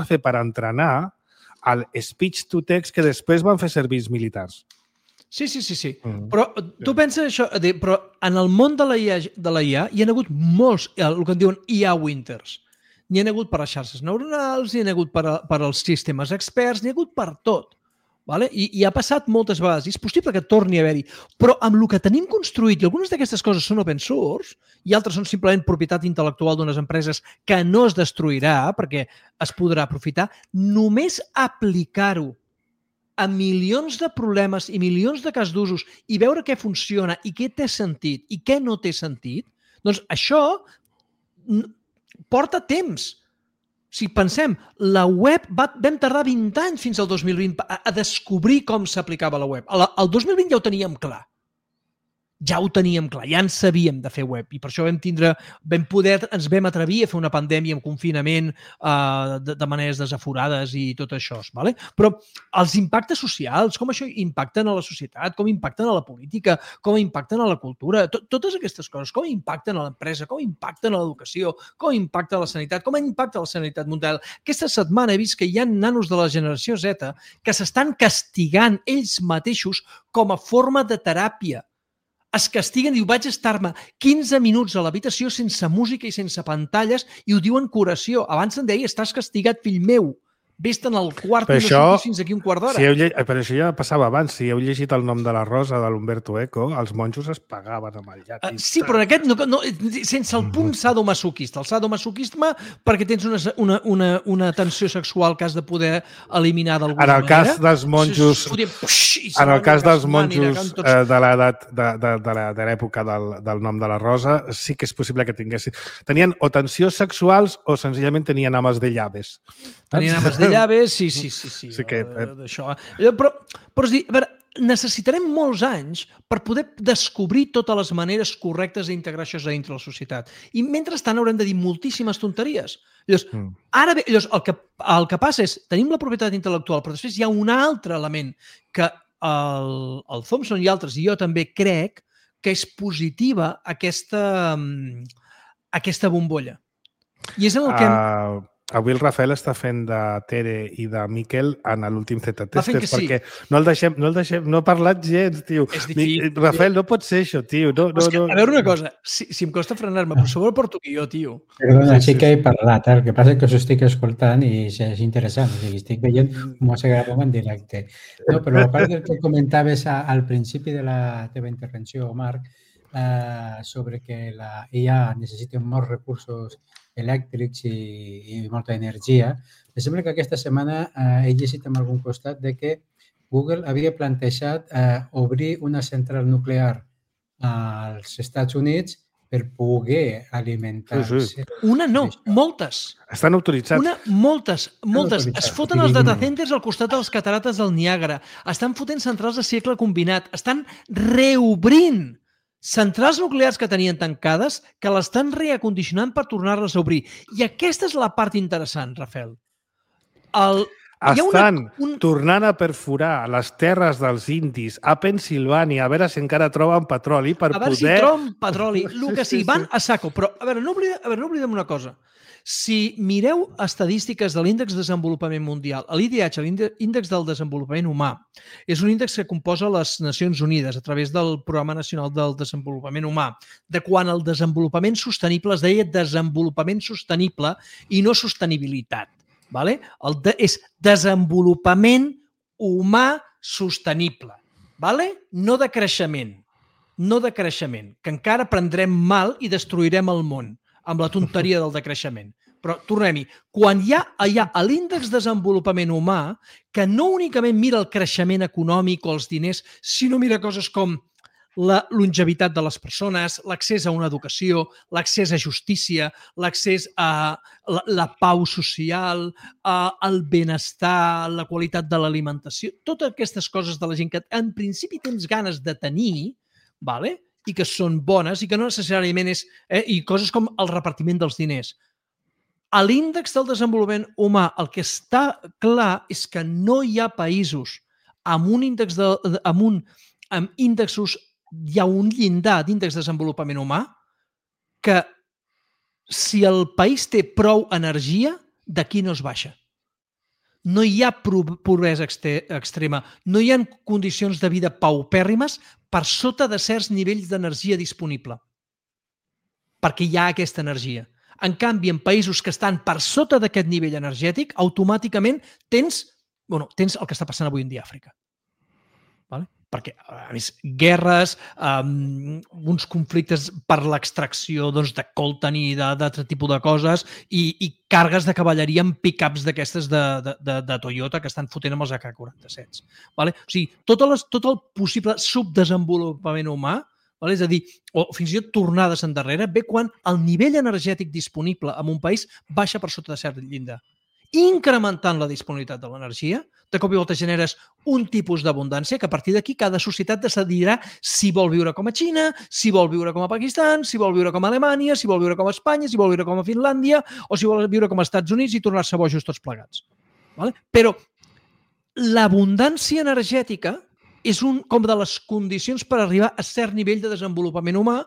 [SPEAKER 2] fer per entrenar el speech-to-text que després van fer servir els militars.
[SPEAKER 4] Sí. Però tu penses això, però en el món de la IA hi ha hagut molts, el que en diuen IA Winters. N'hi ha hagut per les xarxes neuronals, n'hi ha hagut per als sistemes experts, n'hi ha hagut per tot. Vale? I ha passat moltes vegades. I és possible que torni a haver-hi. Però amb el que tenim construït, i algunes d'aquestes coses són open source, i altres són simplement propietat intel·lectual d'unes empreses que no es destruirà perquè es podrà aprofitar, només aplicar-ho a milions de problemes i milions de cas d'usos i veure què funciona i què té sentit i què no té sentit, doncs això porta temps. Si pensem, la web vam tardar 20 anys fins al 2020 a descobrir com s'aplicava la web. El 2020 ja ho teníem clar. ja ho teníem clar, ja en sabíem de fer web i per això ens vam atrevir a fer una pandèmia amb confinament de maneres desaforades i tot això. Vale? Però els impactes socials, com això impacten a la societat, com impacten a la política, com impacten a la cultura, totes aquestes coses, com impacten a l'empresa, com impacten a l'educació, com impacta a la sanitat, com impacta a la sanitat mundial. Aquesta setmana he vist que hi ha nanos de la generació Z que s'estan castigant ells mateixos com a forma de teràpia. Es castiguen i diu, vaig estar-me 15 minuts a l'habitació sense música i sense pantalles i ho diuen curació. Abans em deia, estàs castigat, fill meu. Vés-te'n al quart i no surtis fins aquí un quart d'hora.
[SPEAKER 2] Però això ja passava abans. Si heu llegit El nom de la rosa de l'Umberto Eco, els monjos es pagaven amb el llatis.
[SPEAKER 4] Sí, però en aquest sense el punt sadomasoquista. El sadomasoquisme perquè tens una tensió sèxual que has de poder eliminar d'alguna manera.
[SPEAKER 2] En el cas dels monjos, de l'època del nom de la rosa, sí que és possible que tinguessin... Tenien o tensions sexuals o senzillament tenien ames de llaves.
[SPEAKER 4] Tenien ames de llaves, sí. Però és dir, a veure, necessitarem molts anys per poder descobrir totes les maneres correctes d'integrar això dintre la societat. I mentrestant haurem de dir moltíssimes tonteries. Llavors, ara bé, el que passa és, tenim la propietat intel·lectual, però després hi ha un altre element que el Thompson i altres, i jo també crec, que és positiva aquesta bombolla. I és en el que...
[SPEAKER 2] Avui el Rafael està fent de Tere i de Miquel en l'últim Z-Testers perquè no ha parlat gens, tio. Rafael, no pot ser això, tio. A
[SPEAKER 4] veure una cosa, si em costa frenar-me, però sobre porto aquí jo, tio.
[SPEAKER 3] Perdona, sí que he parlat, el que passa és que us estic escoltant i és interessant, o sigui, estic veient com se grava en directe. No, però a part del que comentaves al principi de la teva intervenció, Marc, sobre que la IA necessita molts recursos elèctrics i molta energia. Em sembla que aquesta setmana he llegit en algun costat de que Google havia plantejat obrir una central nuclear als Estats Units per poder alimentar-se.
[SPEAKER 4] Una no, moltes.
[SPEAKER 2] Estan autoritzats.
[SPEAKER 4] Moltes. Es foten els datacenters al costat de les catarates del Niàgara. Estan fotent centrals de cicle combinat. Estan reobrint centrals nuclears que tenien tancades que l'estan reacondicionant per tornar-les a obrir. I aquesta és la part interessant, Rafael.
[SPEAKER 2] Estan tornant a perforar les terres dels indis a Pensilvània a veure si encara troben petroli per poder...
[SPEAKER 4] A veure si troben petroli, el que sigui. Van a saco. Però, a veure, no oblidem una cosa. Si mireu estadístiques de l'índex de desenvolupament mundial, l'IDH, l'índex del desenvolupament humà, és un índex que composa les Nacions Unides a través del Programa Nacional del Desenvolupament Humà, de quan el desenvolupament sostenible es deia desenvolupament sostenible i no sostenibilitat. És desenvolupament humà sostenible. No de creixement. No de creixement, que encara prendrem mal i destruirem el món amb la tonteria del decreixement. Però tornem-hi. Quan hi ha l'índex de desenvolupament humà, que no únicament mira el creixement econòmic o els diners, sinó mira coses com la longevitat de les persones, l'accés a una educació, l'accés a justícia, l'accés a la pau social, el benestar, la qualitat de l'alimentació, totes aquestes coses de la gent que en principi tens ganes de tenir, i que són bones i que no necessàriament és... I coses com el repartiment dels diners. A l'índex del desenvolupament humà el que està clar és que no hi ha països amb índexos, hi ha un llindar d'índex de desenvolupament humà que si el país té prou energia, d'aquí no es baixa. No hi ha pobresa extrema, no hi ha condicions de vida paupèrrimes per sota de certs nivells d'energia disponible, perquè hi ha aquesta energia. En canvi, en països que estan per sota d'aquest nivell energètic, automàticament tens el que està passant avui en dia a Àfrica. Perquè, a més, guerres, uns conflictes per l'extracció de coltan i d'altre tipus de coses i càrregues de cavalleria amb pick-ups d'aquestes de Toyota que estan fotent amb els AK-47. O sigui, tot el possible subdesenvolupament humà, és a dir, o fins i tot tornades endarrere, ve quan el nivell energètic disponible en un país baixa per sota de cert llindar. incrementant la disponibilitat de l'energia. De cop i volta generes un tipus d'abundància que a partir d'aquí cada societat decidirà si vol viure com a Xina, si vol viure com a Pakistan, si vol viure com a Alemanya, si vol viure com a Espanya, si vol viure com a Finlàndia o si vol viure com a Estats Units i tornar-se bojos tots plegats. Vale? Però l'abundància energètica és com de les condicions per arribar a cert nivell de desenvolupament humà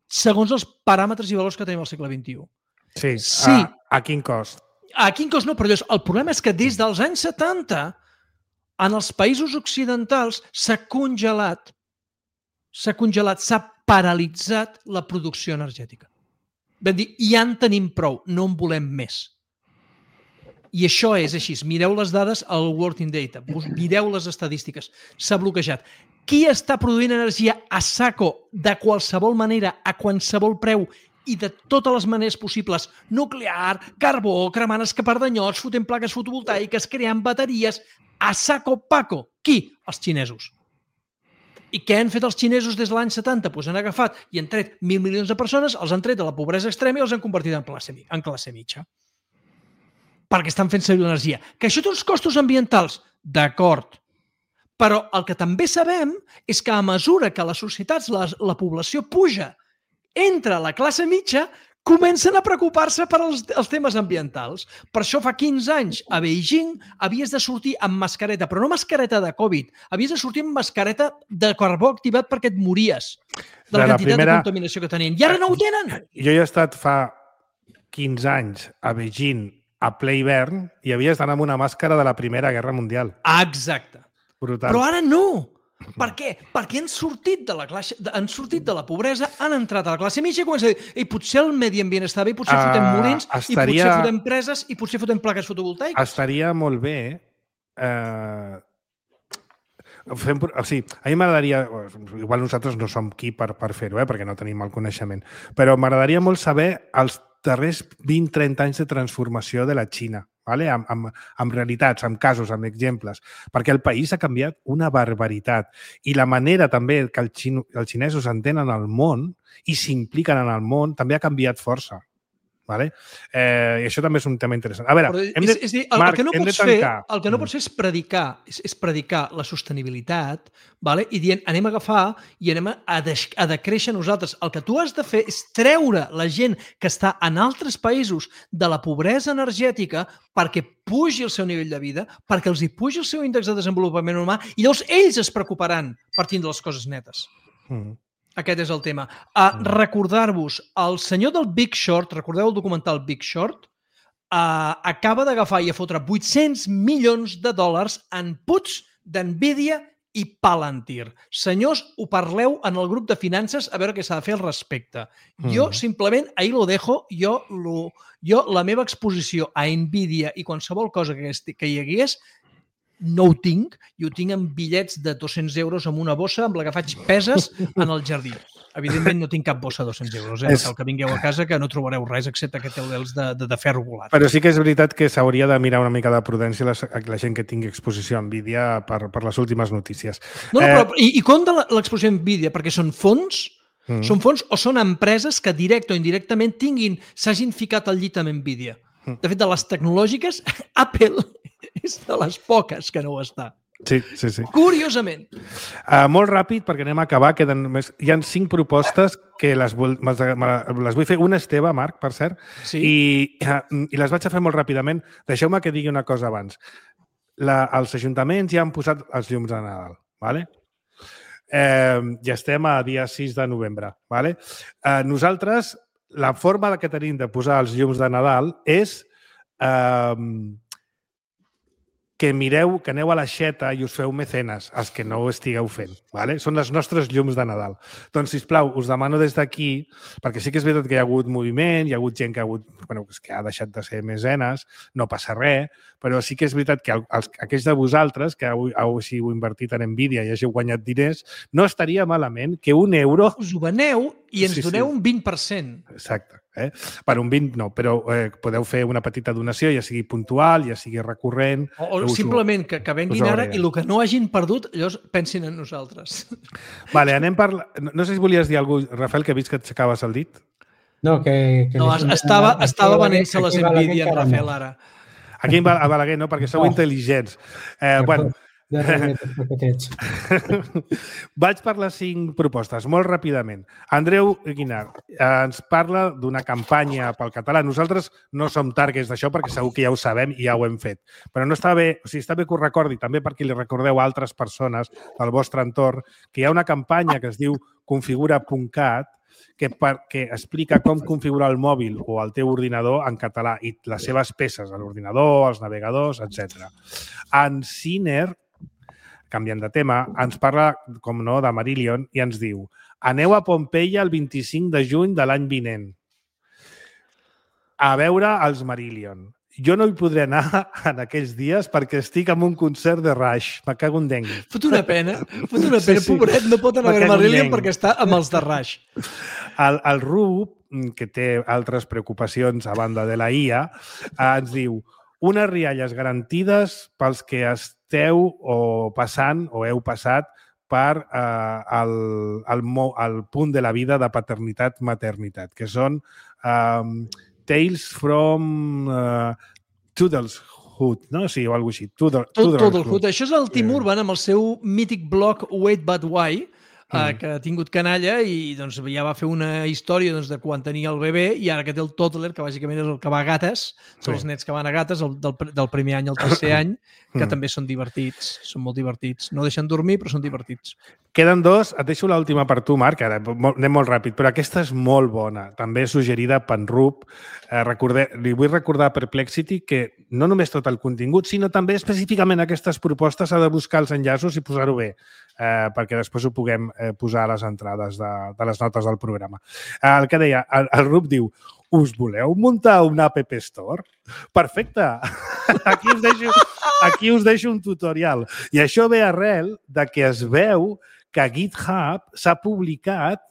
[SPEAKER 4] segons els paràmetres i valors que tenim al segle XXI.
[SPEAKER 2] Sí. A quin cost?
[SPEAKER 4] A quin cost no, però el problema és que des dels anys 70 en els països occidentals s'ha congelat, s'ha paralitzat la producció energètica. Vam dir, ja en tenim prou, no en volem més. I això és així. Mireu les dades al Working Data, mireu les estadístiques. S'ha bloquejat. Qui està produint energia a saco de qualsevol manera, a qualsevol preu i de totes les maneres possibles, nuclear, carbó, cremant escapardanyots, fotent plaques fotovoltaiques, creant bateries, a saco paco. Qui? Els xinesos. I què han fet els xinesos des de l'any 70? Doncs han agafat i han tret 1.000 milions de persones, els han tret de la pobresa extrema i els han convertit en classe mitja. Perquè estan fent servir l'energia. Que això té uns costos ambientals? D'acord. Però el que també sabem és que a mesura que les societats, la població puja, entra la classe mitja, comencen a preocupar-se per els temes ambientals. Per això fa 15 anys a Beijing havies de sortir amb mascareta, però no mascareta de Covid, havies de sortir amb mascareta de carbó activat perquè et mories de la quantitat de contaminació que tenien. I ara no ho tenen!
[SPEAKER 2] Jo he estat fa 15 anys a Beijing a ple hivern i havies d'anar amb una màscara de la Primera Guerra Mundial.
[SPEAKER 4] Exacte.
[SPEAKER 2] Brutal.
[SPEAKER 4] Però ara no! Per què? Perquè han sortit de la pobresa, han entrat a la classe mitja i comencen a dir potser el medi ambient està bé, potser fotem molins, i potser fotem preses, i potser fotem plaques fotovoltaiques.
[SPEAKER 2] Estaria molt bé... a mi m'agradaria... Igual nosaltres no som qui per fer-ho, perquè no tenim el coneixement, però m'agradaria molt saber els darrers 20-30 anys de transformació de la Xina, amb realitats, amb casos, amb exemples, perquè el país ha canviat una barbaritat i la manera també que els xinesos entenen el món i s'impliquen en el món també ha canviat força. I això també és un tema interessant. A veure,
[SPEAKER 4] el que no pots fer és predicar la sostenibilitat i dient anem a agafar i anem a decréixer nosaltres. El que tu has de fer és treure la gent que està en altres països de la pobresa energètica perquè pugi el seu nivell de vida, perquè els hi pugi el seu índex de desenvolupament humà i llavors ells es preocuparan per tindre les coses netes. Aquest és el tema. Recordar-vos, el senyor del Big Short, recordeu el documental Big Short? Acaba d'agafar i a fotre $800 milions en puts d'Nvidia i Palantir. Senyors, ho parleu en el grup de finances a veure què s'ha de fer al respecte. Jo, simplement, ahí lo dejo, jo la meva exposició a Nvidia i qualsevol cosa que hi hagués, no ho tinc, i ho tinc en bitllets de 200 euros amb una bossa amb la que faig peses en el jardí. Evidentment no tinc cap bossa de 200 euros. El que vingueu a casa que no trobareu res excepte que té els de ferro volat.
[SPEAKER 2] Però sí que és veritat que s'hauria de mirar una mica de prudència la gent que tingui exposició a Nvidia per les últimes notícies.
[SPEAKER 4] Però i compte l'exposició a Nvidia, perquè són fons, són fons o són empreses que directe o indirectament s'hagin ficat al llit amb Nvidia. De fet, de les tecnològiques, Apple és de les poques que no ho està.
[SPEAKER 2] Sí.
[SPEAKER 4] Curiosament.
[SPEAKER 2] Molt ràpid, perquè anem a acabar. Hi ha 5 propostes que les vull fer. Una és teva, Marc, per cert, i les vaig a fer molt ràpidament. Deixeu-me que digui una cosa abans. Els ajuntaments ja han posat els llums de Nadal, d'acord? Ja estem a dia 6 de novembre. Nosaltres, la forma que tenim de posar els llums de Nadal és que mireu, que aneu a l'aixeta i us feu mecenes, els que no ho estigueu fent. Són els nostres llums de Nadal. Doncs, sisplau, us demano des d'aquí, perquè sí que és veritat que hi ha hagut moviment, hi ha hagut gent que ha deixat de ser mecenes, no passa res, però sí que és veritat que aquells de vosaltres que heu invertit en Nvidia i hàgiu guanyat diners, no estaria malament que €1...
[SPEAKER 4] Us ho veneu i ens doneu un 20%.
[SPEAKER 2] Exacte. Per un 20 no, però podeu fer una petita donació, ja sigui puntual, ja sigui recurrent...
[SPEAKER 4] O simplement que venguin ara i el que no hagin perdut, llavors pensin en nosaltres.
[SPEAKER 2] Vale, anem per... No sé si volies dir alguna cosa, Rafael, que he vist que t'aixecaves el dit.
[SPEAKER 3] No, que...
[SPEAKER 4] No, estava venent-se les Nvidia en Rafael ara.
[SPEAKER 2] Aquí a Balaguer no, perquè sou intel·ligents. Bueno, vaig per les 5 propostes, molt ràpidament. Andreu Guinart ens parla d'una campanya pel català. Nosaltres no som targets d'això perquè segur que ja ho sabem i ja ho hem fet. Però no està bé, o sigui, està bé que ho recordi, també perquè li recordeu a altres persones del vostre entorn que hi ha una campanya que es diu configura.cat que explica com configurar el mòbil o el teu ordinador en català i les seves peces, l'ordinador, els navegadors, etc. En Ciner, canviant de tema, ens parla, com no, de Marillion i ens diu: aneu a Pompeia el 25 de juny de l'any vinent a veure els Marillion. Jo no hi podré anar en aquells dies perquè estic en un concert de Rush. Me cago en dengui.
[SPEAKER 4] Fot una pena. Pobret, no pot anar a veure Marillion perquè està amb els de Rush.
[SPEAKER 2] El Rub, que té altres preocupacions a banda de la IA, ens diu: unes rialles garantides pels que esteu o passant o heu passat per el punt de la vida de paternitat-maternitat, que són Tales from Toodleshood, no? Sí, o alguna cosa així.
[SPEAKER 4] Toodlehood. Això és el Tim Urban amb el seu mític blog Wait But Why, que ha tingut canalla i doncs, ja va fer una història de quan tenia el bebè i ara que té el toddler, que bàsicament és el que va a gates, són els nets que van a gates del primer any al tercer any, que també són divertits, són molt divertits. No deixen dormir, però són divertits.
[SPEAKER 2] Queden 2. Et deixo l'última per tu, Marc. Ara anem molt ràpid, però aquesta és molt bona. També suggerida per Rup. Li vull recordar a Perplexity que no només tot el contingut, sinó també específicament aquestes propostes ha de buscar els enllaços i posar-ho bé, perquè després ho puguem posar a les entrades de les notes del programa. El que deia, el Rup diu: us voleu muntar un App Store? Perfecte! Aquí us deixo un tutorial. I això ve arrel de que es veu que a GitHub s'ha publicat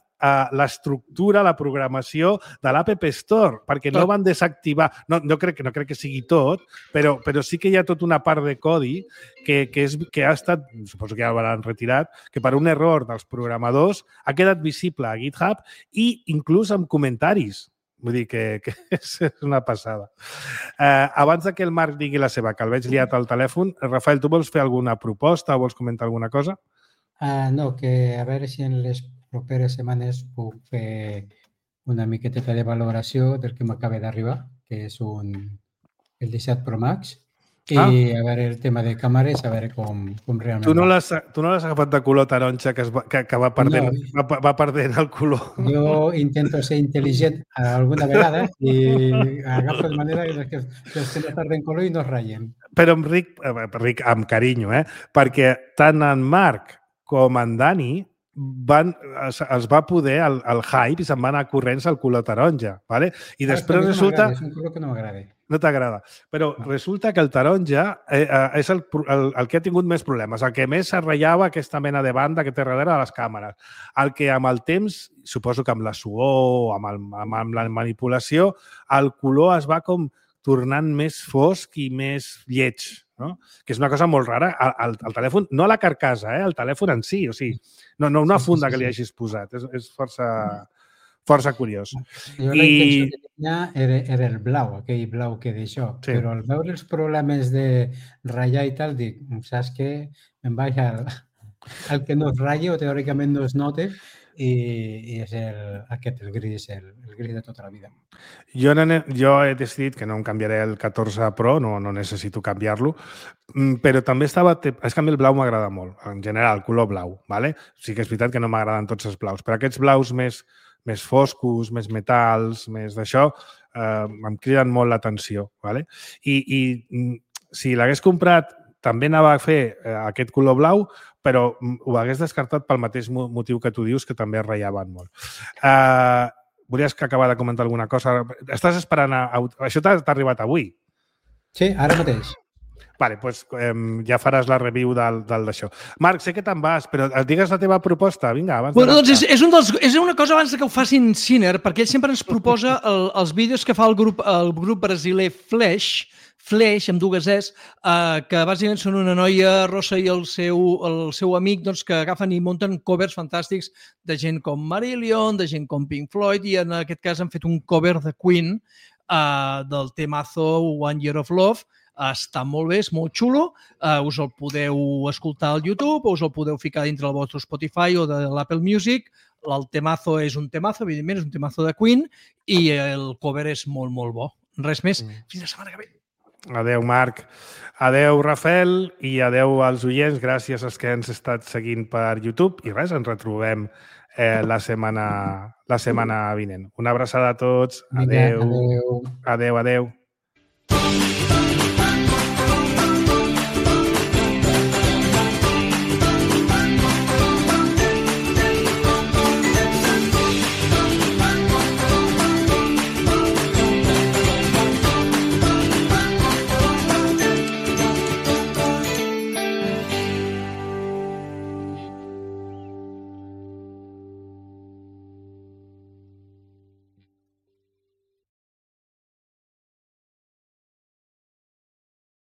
[SPEAKER 2] l'estructura, la programació de l'App Store, perquè no van desactivar... No crec que sigui tot, però sí que hi ha tota una part de codi que ha estat, suposo que ja l'han retirat, que per un error dels programadors ha quedat visible a GitHub i inclús amb comentaris. Vull dir que és una passada. Abans que el Marc digui la seva, que el veig liat al telèfon, Rafael, tu vols fer alguna proposta o vols comentar alguna cosa?
[SPEAKER 3] No, que a veure si en les properes setmanes puc fer una miqueteta de valoració del que m'acaba d'arribar, que és el 17 Pro Max, i a veure el tema de càmeres, a veure com realment...
[SPEAKER 2] Tu no l'has agafat de color taronja que va perdent el color.
[SPEAKER 3] Jo intento ser intel·ligent alguna vegada i agafo de manera que els que no perden color i no es ratllen.
[SPEAKER 2] Però Ric, amb carinyo, perquè tant en Marc com en Dani es va poder el hype i se'n va anar corrents al color taronja. ¿vale? I després resulta...
[SPEAKER 3] És un color que no m'agrada.
[SPEAKER 2] No t'agrada. Però resulta que el taronja és el que ha tingut més problemes, el que més es ratllava aquesta mena de banda que té darrere de les càmeres. El que amb el temps, suposo que amb la suor, amb la manipulació, el color es va com tornant més fosc i més lleig, no? Que és una cosa molt rara. El telèfon, no la carcassa, el telèfon en si, o sigui, no una funda que li hagis posat. És força curiós.
[SPEAKER 3] Jo la intenció que tenia era el blau, aquell blau que d'això, però al veure els problemes de ratllar i tal, dic, saps què? Em vaig al que no es ratlla o teòricament no es nota i és el gris de tota la vida.
[SPEAKER 2] Jo he decidit que no em canviaré el 14 Pro, no necessito canviar-lo, però també és que a mi el blau m'agrada molt, en general, el color blau. ¿vale? Sí que és veritat que no m'agraden tots els blaus, però aquests blaus més foscos, més metals, més d'això, em criden molt l'atenció. ¿vale? I si l'hagués comprat, també anava a fer aquest color blau, però ho hagués descartat pel mateix motiu que tu dius, que també es ratllaven molt. Volies acabar de comentar alguna cosa? Estàs esperant Això t'ha arribat avui?
[SPEAKER 3] Sí, ara mateix.
[SPEAKER 2] Vale, doncs ja faràs la review d'això. Marc, sé que te'n vas, però digues la teva proposta. Vinga, abans
[SPEAKER 4] de... Doncs és una cosa abans que ho facin Ciner, perquè ell sempre ens proposa els vídeos que fa el grup brasiler Flash, amb dues Es, que bàsicament són una noia rossa i el seu amic que agafen i munten covers fantàstics de gent com Marillion, de gent com Pink Floyd, i en aquest cas han fet un cover de Queen del temazo One Year of Love, està molt bé, és molt xulo, us el podeu escoltar al YouTube o us el podeu ficar dintre del vostre Spotify o de l'Apple Music. El temazo és un temazo, evidentment, és un temazo de Queen i el cover és molt, molt bo. Res més, fins la setmana que ve.
[SPEAKER 2] Adeu, Marc. Adeu, Rafael, i adeu als oients. Gràcies als que ens estat seguint per YouTube. I res, ens retrobem la setmana vinent. Una abraçada a tots. Adeu. Adeu, adeu.